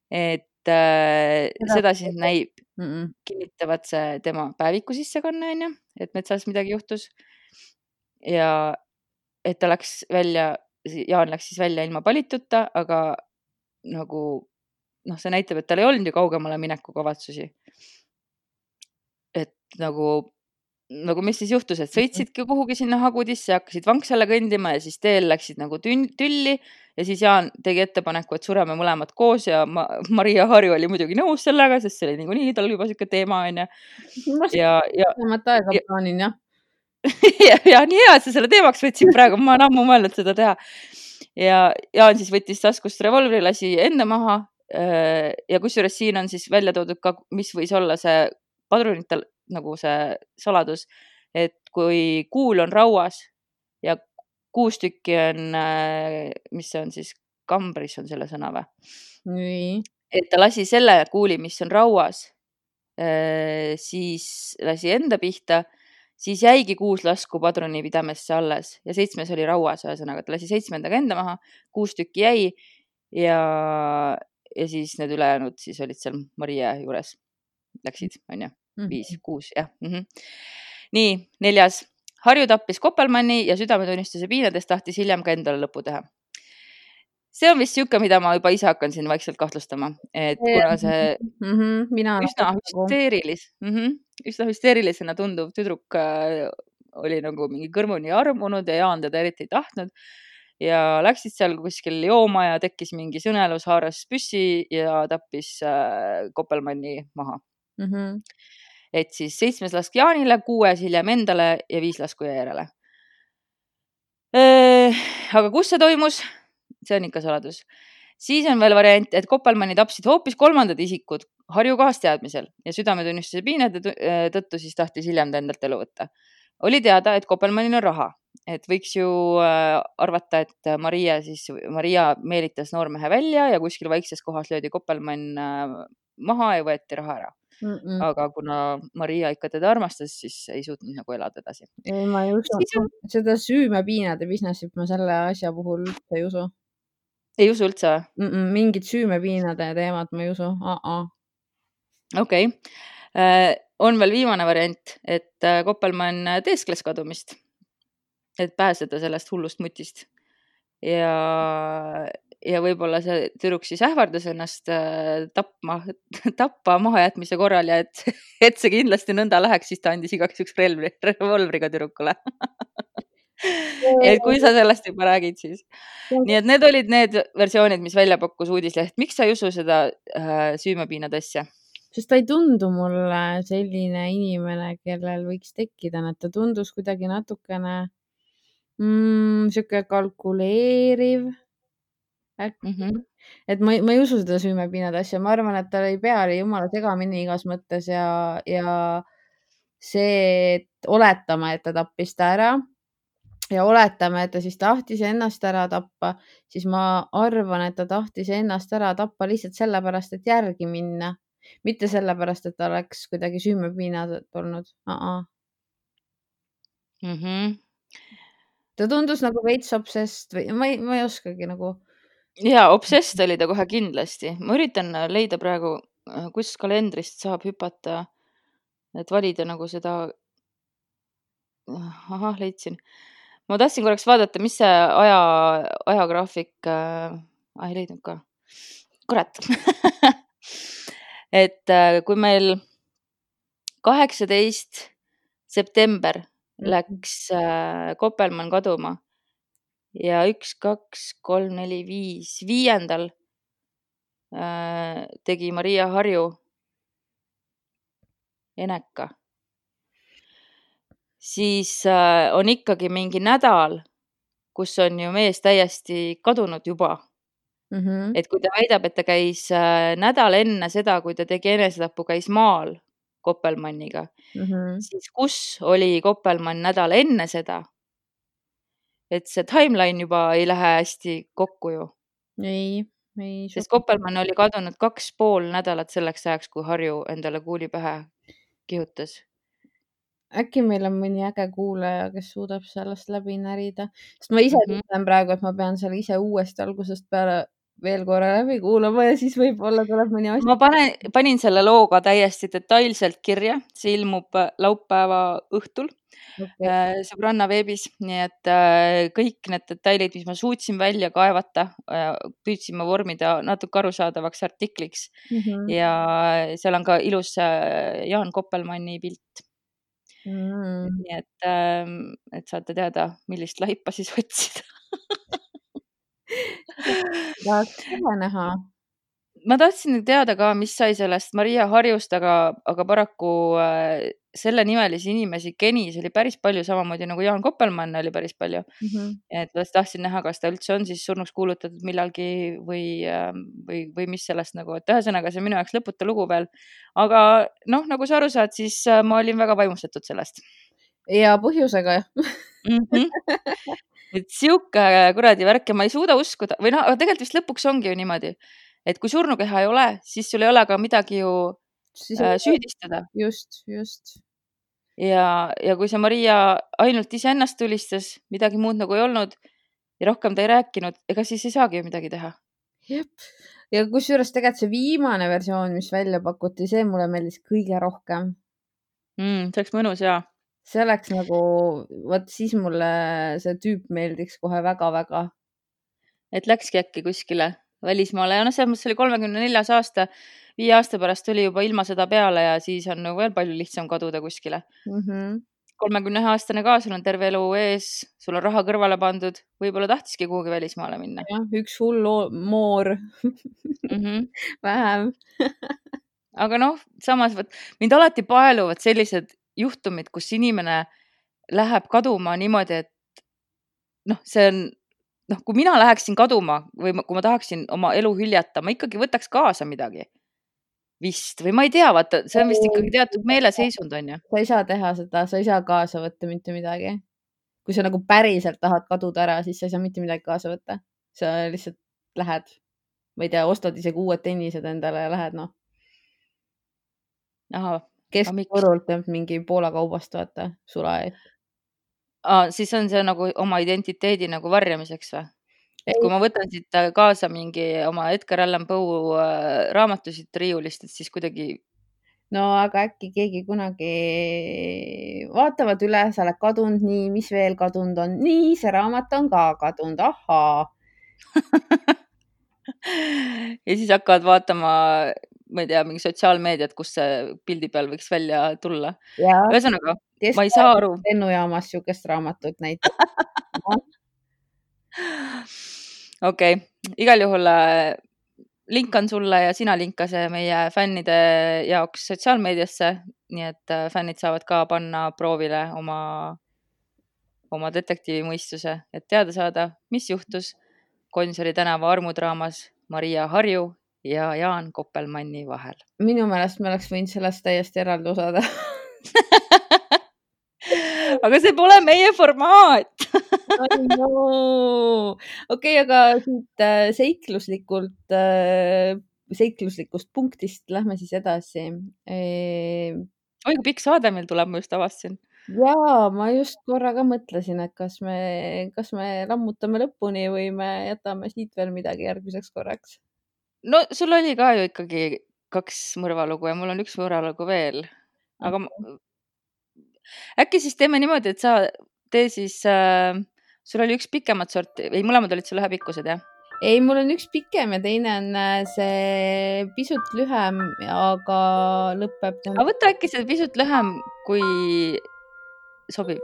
Et äh, seda siis näib, mm-mm. kinnitavad see tema päeviku sissekanne, on ju, et metsas midagi juhtus. Ja et ta läks välja, Jaan läks siis välja ilma palituta, aga nagu, noh, see näitab, et tal ei olnud ju kaugemale mineku kavatsusi. Et nagu, nagu mis siis juhtus, et sõitsidki kuhugi sinna Hagudisse, hakkasid vanksale kõndima ja siis teel läksid nagu tülli ja siis Jaan tegi ettepaneku, et sureme mõlemad koos ja Ma- Maria Harju oli muidugi nõus sellega, sest see oli nagu nii, tal juba siuke teema on ja ja, ja, aega ja, plaanin, jah. ja, ja nii hea, et sa selle teemaks võtsid praegu, ma olen ammu mõelnud seda teha. ja Jaan siis võttis taskust revolvri, lasi enda maha ja kusjuures siin on siis välja toodud ka, mis võis olla see padrunitel nagu see saladus, et kui kuul on rauas ja kuus tükki on, mis see on siis, kambris on selle sõna või? Nii. Et ta lasi selle kuuli, mis on rauas, siis lasi enda pihta, siis jäigi kuus lasku padruni pidamesse alles ja seitsmes oli rauas, ühesõnaga, ta lasi seitsmendaga enda maha, kuus tükki jäi ja, ja siis need ülejäänud siis olid seal Maria juures, läksid, on ju, viis, kuus, jah. Mm-hmm. Nii, neljas. Harju tappis Koppelmanni ja südametunnistuse piinades tahtis hiljem ka endale lõpu teha. See on vist siuke, mida ma juba ise hakkan siin vaikselt kahtlustama, et kuna see mm-hmm. Mina üsna hüsteerilis, mm-hmm. üsna hüsteerilisena tunduv tüdruk äh, oli nagu mingi kõrmuni armunud ja Jaan teda eriti ei tahtnud ja läksid seal kuskil jooma ja tekkis mingi sõnelus, haaras püssi ja tappis äh, Koppelmanni maha. Mm-hmm. Et siis seitsmes lask Jaanile, kuues hiljem endale ja viis lasku järele. Aga kus see toimus? See on ikka saladus. Siis on veel variant, et Koppelmanni tapsid hoopis kolmandad isikud Harju kaasteadmisel ja südametunnistuse piinade tõttu siis tahtis hiljem endalt elu võtta. Oli teada, et Koppelmannil on raha, et võiks ju arvata, et Maria, siis, Maria meelitas noormehe välja ja kuskil vaikses kohas löödi Koppelmann maha ja võeti raha ära. Mm-mm. Aga kuna Maria ikka teda armastas, siis ei suutnud nagu elada edasi. Ei, ma ei usu. On... Seda süümepiinade businessit ma selle asja puhul ei usu. Ei usu üldse? Mm-mm, mingid süümepiinade teemad ma ei usu. Uh-uh. Okei. Okay. On veel viimane variant, et Koppelmann teeskles kadumist, et pääseda sellest hullust mutist. Ja... ja võib-olla see tüdruk siis ähvardas ennast tapma, tappa mahajätmise korral ja et, et see kindlasti nõnda läheks, siis ta andis igaks üks relvri, revolvriga tüdrukule. Et kui sa sellest juba räägid, siis. Nii et need olid need versioonid, mis välja pakkus uudisleht. Miks sa ei usu seda äh, süümepiinade asja? Sest ta ei tundu mulle selline inimene, kellel võiks tekkida, et ta tundus kuidagi natukene mm, siuke kalkuleeriv. Mm-hmm. Et ma, ma ei usu seda süümepiinade asja, ma arvan, et tal ei pea oli jumala segamini igas mõttes ja, ja see, et oletame, et ta tappis ta ära ja oletame, et ta siis tahtis ennast ära tappa, siis ma arvan, et ta tahtis ennast ära tappa lihtsalt sellepärast, et järgi minna, mitte sellepärast, et ta oleks kuidagi süümepiinad olnud. Uh-uh. Mm-hmm. Ta tundus nagu veits obsessed või ma ei, ma ei oskagi nagu ja, obsessed oli ta kohe kindlasti. Ma üritan leida praegu, kus kalendrist saab hüpata, et valida nagu seda. Ahah, leidsin. Ma tahtsin korraks vaadata, mis see aja, ajagraafik, äh, ei leidnud ka. Kurat. Et kui meil kaheksateist september läks äh, Koppelmann kaduma, ja üks, kaks, kolm, neli, viis, viiendal äh, tegi Maria Harju eneka. Siis äh, on ikkagi mingi nädal, kus on ju mees täiesti kadunud juba. Mm-hmm. Et kui ta väidab, et ta käis äh, nädal enne seda, kui ta tegi enesetapu, käis maal Koppelmanniga, mm-hmm. siis kus oli Koppelmann nädal enne seda? Et see timeline juba ei lähe hästi kokku ju. Ei, ei. Sest Koppelmann oli kadunud kaks pool nädalat selleks ajaks, kui Harju endale kuuli pähe kihutas. Äkki meil on mõni äge kuulaja, kes suudab sellest läbi närida. Sest ma ise mm-hmm. ütlen praegu, et ma pean selle ise uuesti algusest peale veel korra läbi kuulama ja siis võib-olla tuleb mõni asja. Ma panen, panin selle looga täiesti detailselt kirja. See ilmub laupäeva õhtul. Okay. Sõbranna veebis, nii et kõik need detailid, mis ma suutsin välja kaevata, püüdsin ma vormida natuke arusaadavaks artikliks mm-hmm. ja seal on ka ilus Jaan Koppelmanni pilt. Mm. Nii et, et saate teada, millist laipa siis otsida. Tahaks kohe näha. ma tahtsin teada ka, mis sai sellest Maria Harjust, aga, aga paraku äh, selle nimelisi inimesi Kenis oli päris palju, samamoodi nagu Jaan Koppelmann oli päris palju. mm. -hmm. Et ma tahtsin näha, kas ta üldse on siis surnuks kuulutatud millalgi või, või, või mis sellest nagu, et ühesõnaga see minu jaoks lõputa lugu veel. Aga noh, nagu sa aru saad, siis ma olin väga vaimustatud sellest. Ja põhjusega mm. -hmm. Et siuke kuradi värk ja ma ei suuda uskuda või noh, tegelikult vist lõpuks ongi ju niimoodi, et kui surnukeha ei ole, siis sul ei ole ka midagi ju siis äh, süüdistada. Just, just. Ja, ja kui see Maria ainult iseennast tulistas, midagi muud nagu ei olnud ja rohkem ta ei rääkinud, ega siis ei saagi ju midagi teha. Jep. Ja kusjuures tegelikult see viimane versioon, mis välja pakuti, see mulle meeldis kõige rohkem. Mm, see oleks mõnus, jaa. See oleks nagu, võt siis mulle see tüüp meeldiks kohe väga-väga. Et läkski äkki kuskile välismaale ja noh, selles mõttes oli kolmekümne neljas aasta, viie aasta pärast tuli juba ilma seda peale ja siis on nagu veel palju lihtsam kaduda kuskile. Mm -hmm. kolmekümne ühe aastane ka, sul on terve elu ees, sul on raha kõrvale pandud, võib-olla tahtiski kuhugi välismaale minna. Ja, üks hull moor mm -hmm. vähem. Aga noh, samas võt, mind alati paeluvad sellised juhtumid, kus inimene läheb kaduma niimoodi, et noh, see on noh, kui mina läheksin kaduma või kui ma tahaksin oma elu hüljata, ma ikkagi võtaks kaasa midagi. Vist, või ma ei tea, vaata, see on vist ikkagi teatud meeleseisund on ju. Sa ei saa teha seda, sa ei saa kaasa võtta mitte midagi. Kui sa nagu päriselt tahad kaduda ära, siis sa ei saa mitte midagi kaasa võtta. Sa lihtsalt lähed, ma ei tea, ostad isegi uued tennised endale ja lähed noh. Aha. Keskkorult teeb mingi Poola kaubast, vaata, sula ees. Aa, siis on see nagu oma identiteedi nagu varjamiseks või? Et kui ma võtan siit kaasa mingi oma Edgar Allan Poe raamatusid riiulist, et siis kuidagi... No aga äkki keegi kunagi vaatavad üle, sa oled kadunud, nii, mis veel kadunud on? Nii, see raamat on ka kadunud, ahaa. Ja siis hakkavad vaatama, ma ei tea, mingi sotsiaalmeediat, kus see pildi peal võiks välja tulla. Ühesõnaga, ma ei saa aru. Lennujaamas siukest raamatut näiteks. Okei, okay. Igal juhul linkan sulle ja sina linka see meie fännide jaoks sotsiaalmeediasse, nii et fännid saavad ka panna proovile oma, oma detektiivimõistuse, et teada saada, mis juhtus Gonsiori tänava armudraamas Maria Harju ja Jaan Koppelmanni vahel. Minu meelest me oleks võinud sellest täiesti eraldi osada. Aga see pole meie formaat. no. Okei, okay, aga siit seikluslikult, seikluslikust punktist lähme siis edasi. E... Oi, kui pikk saade meil tuleb, ma just avastasin. Jaa, ma just korra ka mõtlesin, et kas me, kas me lammutame lõpuni või me jätame siit veel midagi järgmiseks korraks. No sul oli ka ju ikkagi kaks mõrvalugu ja mul on üks mõrvalugu veel. Aga ma... äkki siis teeme niimoodi, et sa tee siis, äh, sul oli üks pikemat sorti, ei mõlemad olid sul ühepikkused, jah? Ei, mul on üks pikem ja teine on see pisut lühem, aga lõpeb. Aga võta äkki see pisut lühem, kui sobib.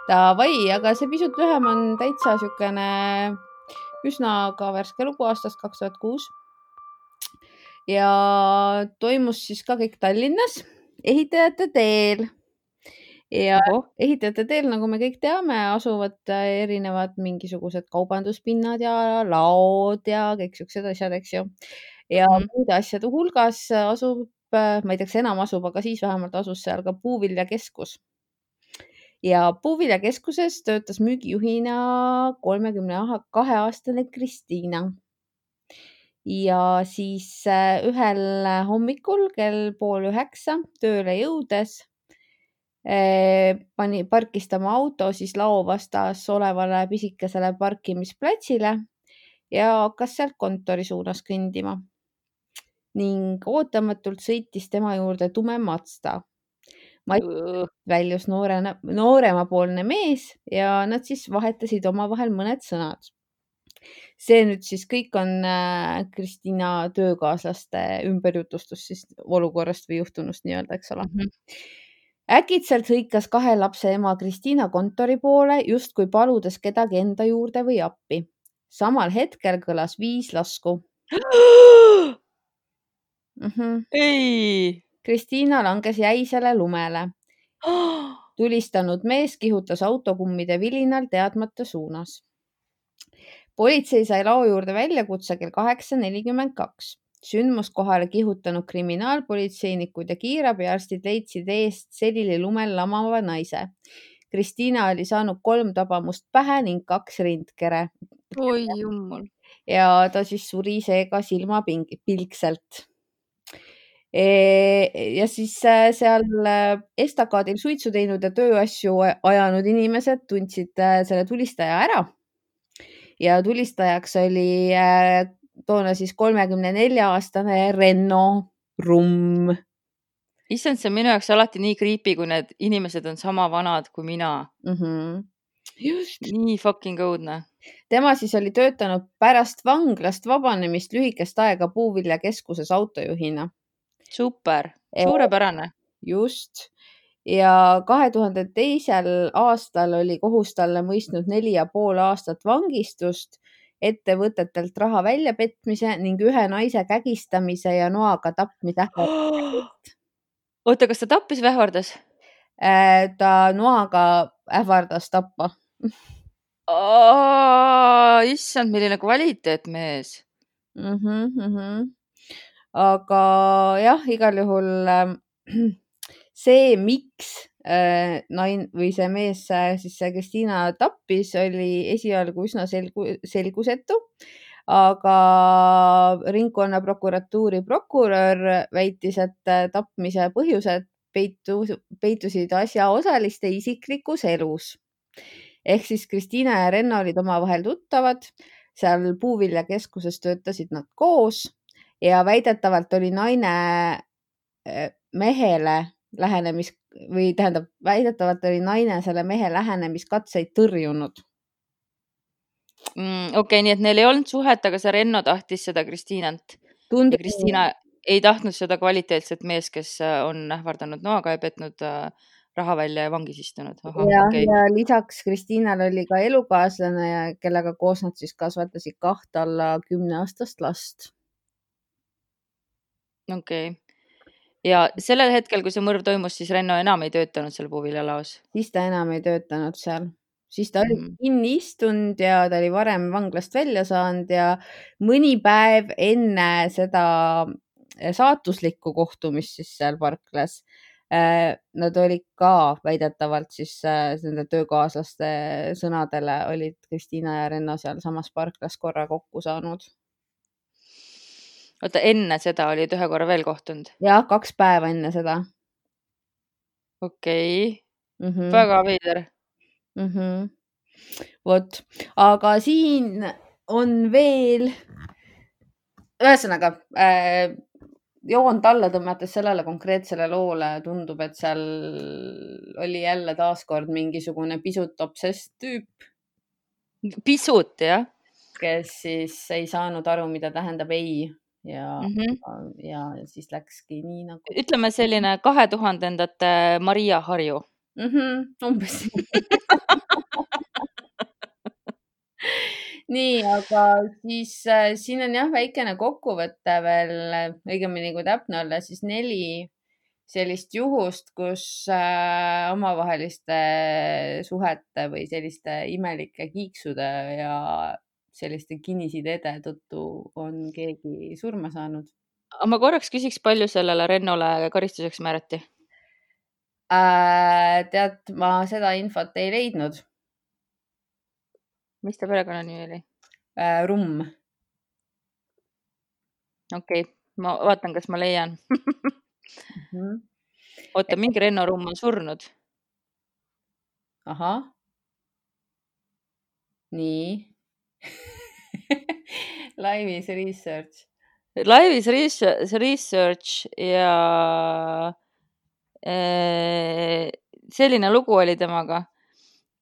Davai, aga see pisut lühem on täitsa siukene üsna ka värske lugu aastast kaks tuhat kuus. Ja toimus siis ka kõik Tallinnas ehitajate teel. Ja Oho. ehitajate teel, nagu me kõik teame, asuvad erinevad mingisugused kaubanduspinnad ja laod ja kõik siuksed asjad, eks ju. Ja mm. muude asjade hulgas asub, ma ei tea, kas enam asub, aga siis vähemalt asus seal ka puuviljakeskus. Ja puuviljakeskuses töötas müügijuhina kolmekümne kahe aastane Kristiina. Ja siis ühel hommikul kell pool üheksa tööle jõudes pani, parkis ta oma auto siis lao vastas olevale pisikesele parkimisplatsile ja hakkas sealt kontori suunas kõndima. Ning ootamatult sõitis tema juurde tume Mazda. Väljus noore, nooremapoolne mees ja nad siis vahetasid omavahel mõned sõnad. See nüüd siis kõik on Kristiina töökaaslaste ümberjutustus siis olukorrast või juhtunust nii-öelda, eks ole. Mm-hmm. Äkitselt hõikas kahe lapse ema Kristiina kontori poole, justkui paludes kedagi enda juurde või appi. Samal hetkel kõlas viis lasku. Mhm. ei. Kristiina langes jäisele lumele. Tulistanud mees kihutas autokummide vilinal teadmata suunas. Politsei sai lao juurde väljakutse kell kaheksa nelikümmend kaks. Sündmuskohale kihutanud kriminaalpolitseinikud ja kiirabiarstid leidsid eest selili lumel lamava naise. Kristiina oli saanud kolm tabamust pähe ning kaks rindkere oi jummel. ja ta siis suri seega silmapilkselt. Ja siis seal estakaadil suitsu teinud ja tööasju ajanud inimesed tundsid selle tulistaja ära. Ja tulistajaks oli toona siis kolmekümne nelja aastane Renno Rumm. Issand, see on minu jaoks alati nii creepy, kui need inimesed on sama vanad kui mina. Mm-hmm. Just. Nii fucking õudne. Tema siis oli töötanud pärast vanglast vabanemist lühikest aega Puuviljakeskuses autojuhina. Super, suurepärane. Just. Ja kahe tuhande teisel aastal oli kohus talle mõistnud neli ja pool aastat vangistust, ettevõtetelt raha väljapetmise ning ühe naise kägistamise ja noaga tapmise. Oota, kas ta tappis või ähvardas? Ta noaga ähvardas tappa. Oh, issand, milline kvaliteet mees. Mm-hmm, mm-hmm. Aga jah, igal juhul see, miks nain või see mees siis see Kristiina tappis, oli esialgu üsna selgu, selgusetu, aga ringkonna prokuratuuri prokurör väitis, et tapmise põhjused peitu, peitusid asjaosaliste isiklikus elus. Ehk siis Kristiina ja Renno olid omavahel tuttavad, seal Puuviljakeskuses töötasid nad koos ja väidetavalt oli naine mehele lähenemis või tähendab, väidetavalt oli naine selle mehe lähenemiskatseid tõrjunud. Mm, Okei, okay, nii et neil ei olnud suhet, aga see Renno tahtis seda Kristiinalt. Tundub... Ja Kristiina ei tahtnud seda kvaliteetset mees, kes on ähvardanud noaga ja petnud raha välja ja vangis istunud. Aha, ja, okay. ja lisaks Kristiinal oli ka elukaaslane, kellega koos nad siis kasvatasid kaht alla kümne aastast last. Okei. Okay. Ja sellel hetkel, kui see mõrv toimus, siis Renno enam ei töötanud seal Puuviljalaos? Siis ta enam ei töötanud seal. Siis ta oli mm. kinni istunud ja ta oli varem vanglast välja saanud ja mõni päev enne seda saatuslikku kohtumist siis seal parklas nad olid ka väidetavalt siis nende töökaaslaste sõnadele olid Kristiina ja Renno seal samas parklas korra kokku saanud. Oota, enne seda olid ühe korra veel kohtunud? Jah, kaks päeva enne seda. Okei, okay. mm-hmm. Väga veider. Mm-hmm. Vot, aga siin on veel, ühesõnaga, äh, joont alla tõmmates sellele konkreetsele loole tundub, et seal oli jälle taaskord mingisugune pisut obsess tüüp. Pisut, jah? Kes siis ei saanud aru, mida tähendab ei. Ja, mm-hmm. ja, ja siis läkski nii nagu... Ütleme selline kahe tuhandendate Maria Harju. Mm-hmm, umbes. Nii, aga siis äh, siin on jah väikene kokkuvõte veel, õigemini kui täpne olla, siis neli sellist juhust, kus äh, omavaheliste suhete või selliste imelike kiiksude ja selliste kinnisideede tõttu on keegi surma saanud. Ma korraks küsiks, palju sellele Rennole karistuseks määrati? Äh, tead, ma seda infot ei leidnud. Mis ta perekonna nimi oli? Äh, Rumm. Okei, okay. Ma vaatan, kas ma leian. mm-hmm. Oota, mingi Renno Rumm on surnud. Ahah. Nii. Live is research. Live is research ja äh, selline lugu oli temaga,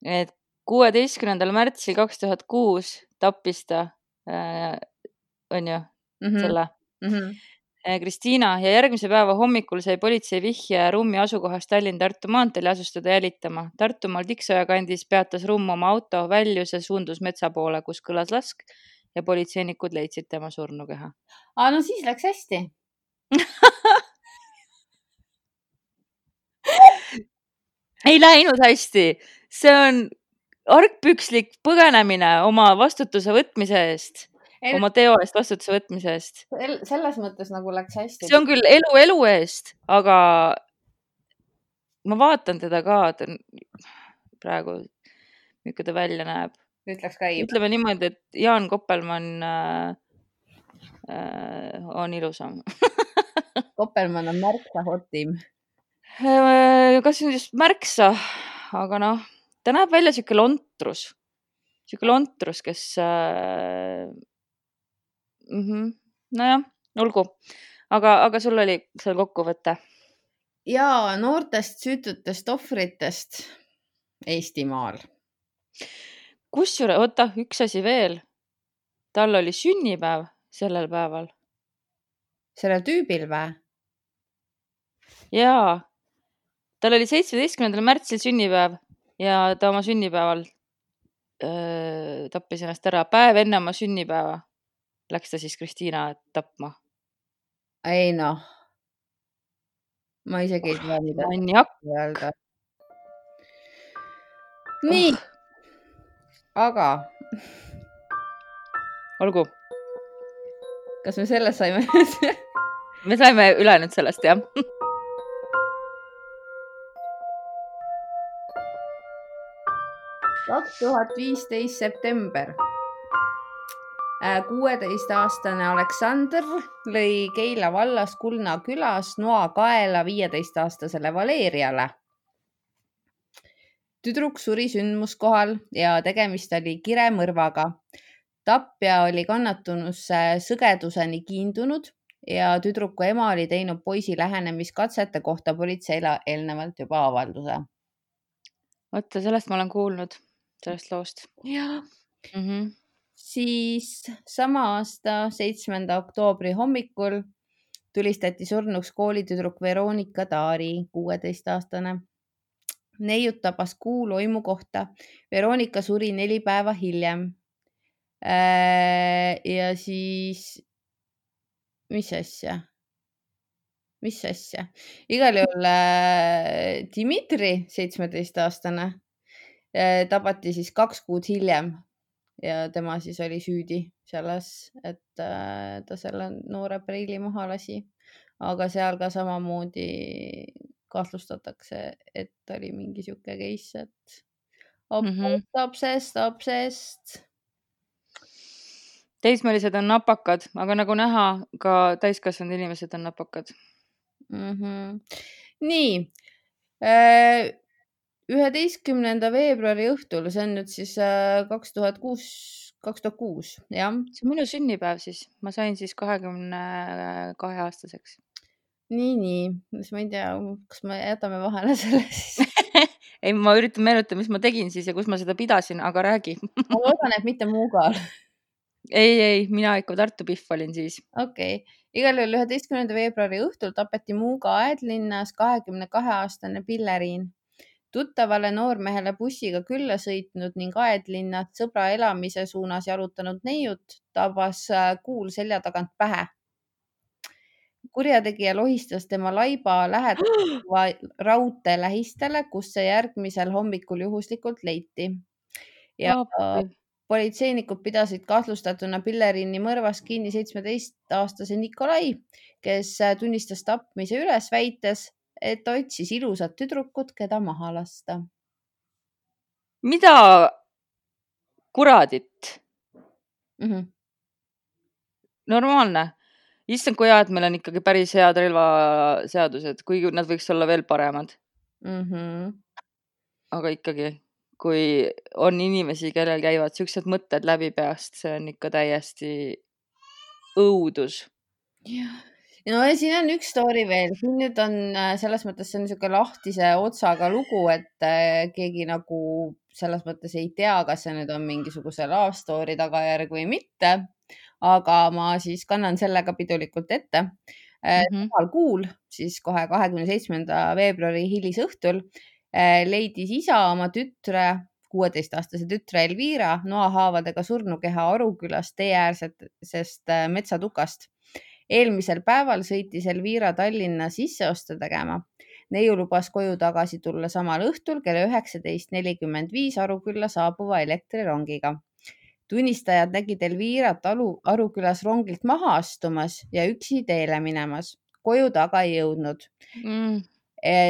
et kuueteistkümnendal märtsil kaks tuhat kuus tappis ta, äh, on ju, mm-hmm. selle. Mm-hmm. Kristiina ja järgmise päeva hommikul sai politsei vihje rummi asukohast Tallinn-Tartu maanteel ja asustada jälitama. Tartumaal Tiksoja kandis peatas rumm oma auto, väljus ja suundus metsa poole, kus kõlas lask ja politseinikud leidsid tema surnukeha. Aa, no siis läks hästi. Ei läinud hästi. See on argpükslik põgenemine oma vastutuse võtmise eest, Ei, oma teo eest vastutuse võtmise eest. sel- selles mõttes nagu läks hästi. See on küll elu elu eest, aga ma vaatan teda ka, ta on praegu, milline ta välja näeb. Ütleks ka ei. Ütleme niimoodi, et Jaan Koppelmann äh, äh, on ilusam. Koppelmann on märksa hotim. Äh, Kas see on just märksa, aga noh, ta näeb välja siuke lontrus. Siuke lontrus, kes... Äh, mm -hmm. Nojah, olgu. Aga, aga sul oli seal kokkuvõte. Ja noortest süütutest ohvritest Eestimaal. Kusjuures, oota, üks asi veel. Tal oli sünnipäev sellel päeval. Sellel tüübil või? Jaa, tal oli seitsmeteistkümnendal märtsil sünnipäev ja ta oma sünnipäeval öö, tappis ennast ära. Päev enne oma sünnipäeva läks ta siis Kristiina tapma. Ei noh. Ma isegi ei tea, mida Maniak. öelda. Nii. Oh. Aga Olgu, kas me sellest saime? me saime üle nüüd sellest, jah. kaks tuhat viisteist september. kuueteistaastane Aleksander lõi Keila vallas Kulna külas noa kaela viieteistaastasele Valeriale. Tüdruk suri sündmuskohal ja tegemist oli kiremõrvaga. Tapja oli kannatunusse sõgeduseni kiindunud ja tüdruku ema oli teinud poisi lähenemiskatsete kohta politseile eelnevalt juba avalduse. Oota, sellest ma olen kuulnud, sellest loost. Ja. Mm -hmm. Siis sama aasta seitsmenda oktoobri hommikul tulistati surnuks koolitüdruk Veronika Taari, kuueteistaastane. Neiut tabas kuu loimu kohta. Veronika suri neli päeva hiljem. Ja siis, mis asja? Mis asja? Igal juhul Dimitri, seitsmeteistaastane, tabati siis kaks kuud hiljem. Ja tema siis oli süüdi selles, et ta selle noore preili maha lasi. Aga seal ka samamoodi kahtlustatakse, et oli mingi siuke case, et obsest, obsest. Teismelised on napakad, aga nagu näha, ka täiskasvanud inimesed on napakad. Mm -hmm. Nii. üheteistkümnenda veebruari õhtul, see on nüüd siis kaks tuhat kuus, kaks tuhat kuus, jah. See on minu sünnipäev siis. Ma sain siis kahekümne kahe aastaseks. Nii, nii. Ma ei tea, kas me jätame vahele selle siis. Ei, ma üritan meenutada, mis ma tegin siis ja kus ma seda pidasin, aga räägi. Ma loodan, et mitte Muugal. Ei, ei, mina ikka Tartu Pihv olin siis. Okei. Okay. Igal juhul üheteistkümnenda veebruari õhtul tapeti Muuga Aedlinnas kahekümne kahe aastane Pilleriin. Tuttavale noormehele bussiga külla sõitnud ning Aedlinnat sõbra elamise suunas jalutanud neiut tabas kuul selja tagant pähe. Kurjategija lohistas tema laiba lähedava raudtee lähistele, kus see järgmisel hommikul juhuslikult leiti. Ja Appi. Politseinikud pidasid kahtlustatuna Pilleriini mõrvas kinni seitsmeteistaastase Nikolai, kes tunnistas tapmise üles väites, et otsis ilusat tüdrukut, keda maha lasta. Mida kuradit? Mm -hmm. Normaalne. Issand, kui hea, et meil on ikkagi päris head relvaseadused, kuigi nad võiks olla veel paremad. Mm -hmm. Aga ikkagi, kui on inimesi, kellel käivad siuksed mõtted läbi peast, see on ikka täiesti õudus. Jah. No ja siin on üks story veel. Siin nüüd on selles mõttes, see on niisugune lahtise otsaga lugu, et keegi nagu selles mõttes ei tea, kas see nüüd on mingisuguse love story tagajärg või mitte. Aga ma siis kannan sellega pidulikult ette. Mhm. samal kuul, siis kohe kahekümne seitsmenda veebruari hilisõhtul äh, leidis isa oma tütre, kuueteistaastase tütre Elvira noahaavadega surnukeha Arukülast teeäärsest äh, metsatukast. Eelmisel päeval sõitis Elvira Tallinna sisseoste tegema. Neiu lubas koju tagasi tulla samal õhtul kella üheksateist nelikümmend viis Arukülla saabuva elektrirongiga. Tunnistajad nägid Elvirat Aru, Arukülas rongilt maha astumas ja üksi teele minemas. Koju taga ei jõudnud. Mm.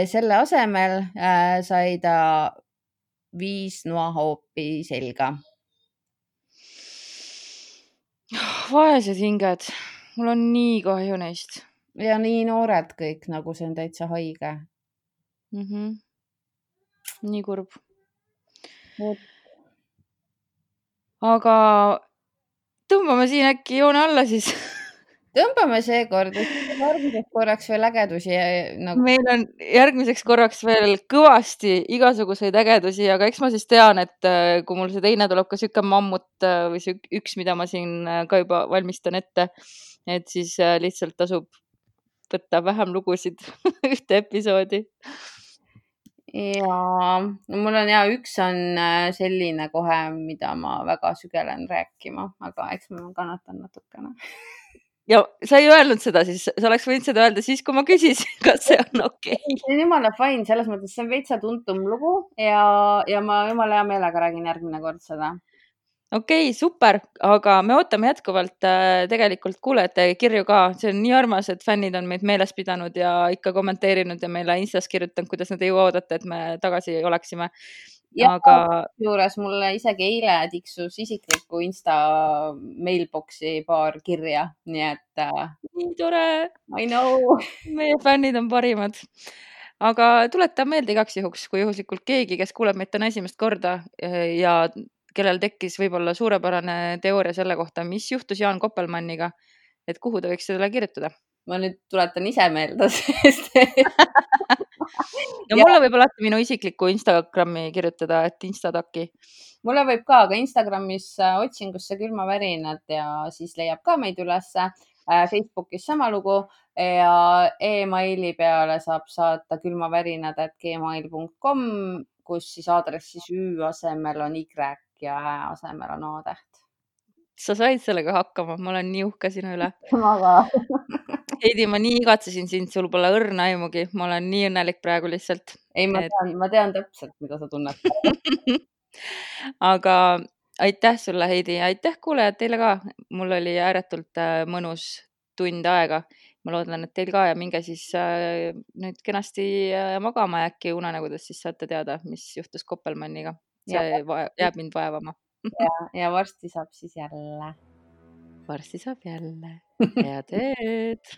Selle asemel äh, sai ta viis noahoopi selga. Vaesed hinged. Mul on nii kahju neist. Ja nii noored kõik, nagu see on täitsa haige. Mm-hmm. Nii kurb. Aga tõmbame siin äkki joone alla siis. Tõmbame seekord, et järgmiseks korraks veel ägedusi. Nagu... Meil on järgmiseks korraks veel kõvasti igasuguseid ägedusi, aga eks ma siis tean, et kui mul see teine tuleb ka siuke mammut või see üks, mida ma siin ka juba valmistan ette, et siis lihtsalt tasub võtta vähem lugusid ühte episoodi. Ja mul on ja üks on selline kohe, mida ma väga sügelen rääkima, aga eks ma kannatan natukene. Ja sa ei öelnud seda siis, sa oleks võinud seda öelda siis, kui ma küsisin, kas see on okei. Okay. See on jumala fine, selles mõttes see on veitsa tuntum lugu ja, ja ma jumala hea meelega räägin järgmine kord seda. Okei, okay, super, aga me ootame jätkuvalt äh, tegelikult kuulajate kirju ka. See on nii armas, et fännid on meid meeles pidanud ja ikka kommenteerinud ja meile Instas kirjutanud, kuidas nad ei oodata, et me tagasi oleksime. Ja aga... juures mulle isegi eile tiksus isikliku Insta mailboxi paar kirja, nii et... Nii tore! I know! Meie fännid on parimad. Aga tuleta meelde igaks juhuks, kui juhuslikult keegi, kes kuuleb meid täna esimest korda ja kellel tekkis võib-olla suurepärane teooria selle kohta, mis juhtus Jaan Koppelmanniga, et kuhu ta võiks selle kirjutada? Ma nüüd tuletan ise meelde, sest... ja mulle võib alati minu isikliku Instagrami kirjutada, et Instataki. Mulle võib ka, aga Instagramis otsingusse külmavärinad ja siis leiab ka meid ülesse. Facebookis sama lugu ja e-maili peale saab saata külmavärinad at gmail punkt com, kus siis aadressis Ü asemel on Y ja Ä asemel on A-täht. Sa said sellega hakkama, ma olen nii uhke sinu üle. Ma ka. Heidi, ma nii igatsesin sind, sul pole õrna aimugi. Ma olen nii õnnelik praegu lihtsalt. Ei, ma tean, et... ma tean täpselt, mida sa tunned. Aga aitäh sulle, Heidi. Aitäh kuulejad teile ka. Mul oli ääretult mõnus tund aega. Ma loodan, et teil ka ja minge siis nüüd kenasti magama ja äkki unenägudes siis saate teada, mis juhtus Koppelmanniga. See ja, jääb mind vaevama. ja, ja varsti saab siis jälle. Varsti saab jälle. Head ööd.